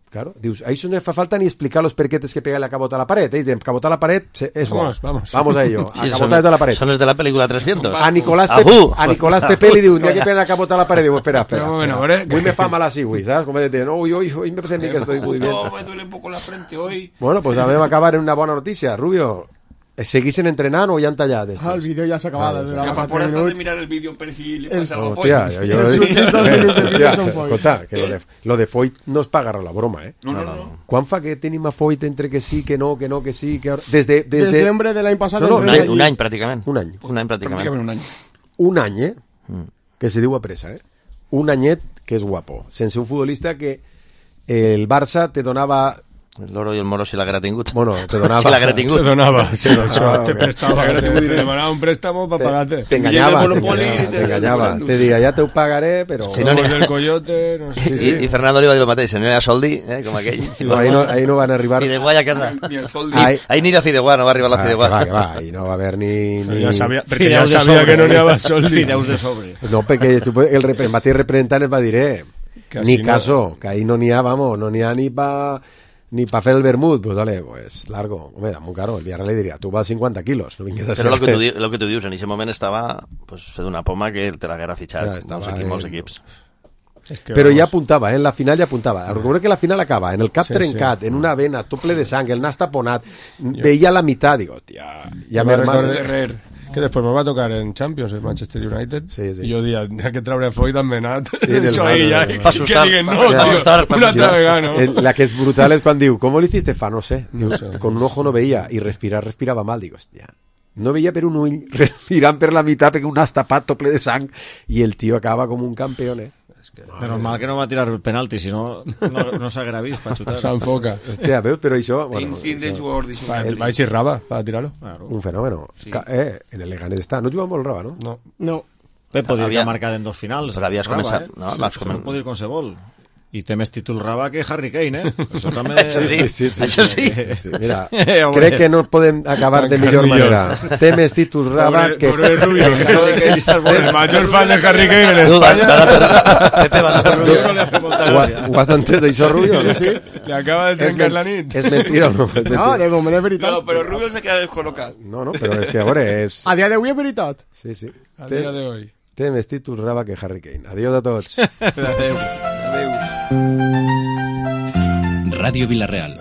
Claro, dius, ahí no fa falta ni explicar los perquetes que pega la cabota a la pared. Dicen, cabota a la pared es vamos a ello. A cabota desde la pared.
Son los de la película 300.
A Nicolás Pepe li diu, n'hi ha que pegar la cabota a la pared. Diu, espera. Avui me fa mal así, güey, ¿sabes? Como de, no, hoy me parece a mí que estoy muy bien.
Me duele un poco la frente hoy.
Bueno, pues a ver, va a acabar en una buena noticia, Rubio. ¿Seguís entrenar o ya han tallado esto?
El vídeo ya se acaba.
Por eso de mirar el vídeo per si le pasa algo a Foyt.
Hòstia, que lo de Foyt no es pa agarrar la broma,
No.
Quan fa que tenim a Foyt entre que sí, que no, que sí, que... Desde
Desembre de l'any passat.
Un any, pràcticament.
Un any.
Pràcticament.
Un any, que se diu a pressa, Un anyet que és guapo. Sense un futbolista que el Barça te donava...
El Loro i el Moro si l'haguera tingut.
Bueno, te donava.
Si l'haguera tingut.
Te donava. Te prestava. Te demanava un préstamo para pagarte.
Te engañaba. Te diga, ya te ho pagaré, però...
Si no ni el Coyote, no sé.
Sí. I Fernando li va dir el mateix, no era Soldi, com aquell.
Ahí no van a arribar...
Fideuà a casa. Ni el Soldi. Ahí ni la Fideuà, no va arribar la Fideuà.
Que va, ahí no va haver ni...
Perquè ja sabia que no n'hi havia Soldi.
Fideus de sobre.
No, perquè el mateix representant es va dir, ni caso, que ahí no n'hi ha, vamos, no n'hi ha ni para hacer el vermut, pues dale, pues largo. Hombre, muy caro. El Villarreal le diría, tú vas 50 kilos, no vingues a ser...
Però lo que tu dius, en ese moment estava pues, fet una poma que te l'haguera fitxat molts equips.
Però ja apuntava, en la final ja apuntava. Recordo que la final acaba en el cap trencat, en una vena, tople de sang, el nas taponat, veia la meitat, digo, tia, ja m'he hermano.
Que després me va tocar en Champions, el Manchester United, i jo dia, que traure Foyt amb Benat,
pa assustar,
una altra vegada, no?
La que és brutal és quan diu, ¿cómo lo hiciste? No sé. Con un ojo no veía, y respirava mal, digo, hòstia. No veia per un ull, respirant per la meitat, perquè un nas tapat, ple de sang, i el tio acaba com un campeón,
Menos mal que no va a tirar el penalti, si no s'haguera vist per xutar.
S'enfoca.
Hòstia, veus, però això...
Va i Raba, para tirarlo.
Un fenómeno. En el Leganés està. No juga molt Raba, no?
No.
Pep podria marcar en 2 finals.
Però havies començat...
No, podia ir qualsevol. I té més títols Raba que Harry Kane, Això també...
Això sí. Mira, crec que no podem acabar de millor manera. Té més títols Raba que...
Pobre Rubio, el major fan de Harry Kane en Espanya.
Ho has entès, això, Rubio?
Sí. Le acaba de trencar la nit.
És mentira o no?
No, de moment és veritat.
No, però Rubio se queda descol·locat.
No, però és que, a veure, és...
A dia d'avui és veritat.
Sí.
A dia d'avui.
Té més títols Raba que Harry Kane. Adiós a tots.
Adéu.
Ràdio Vilareal.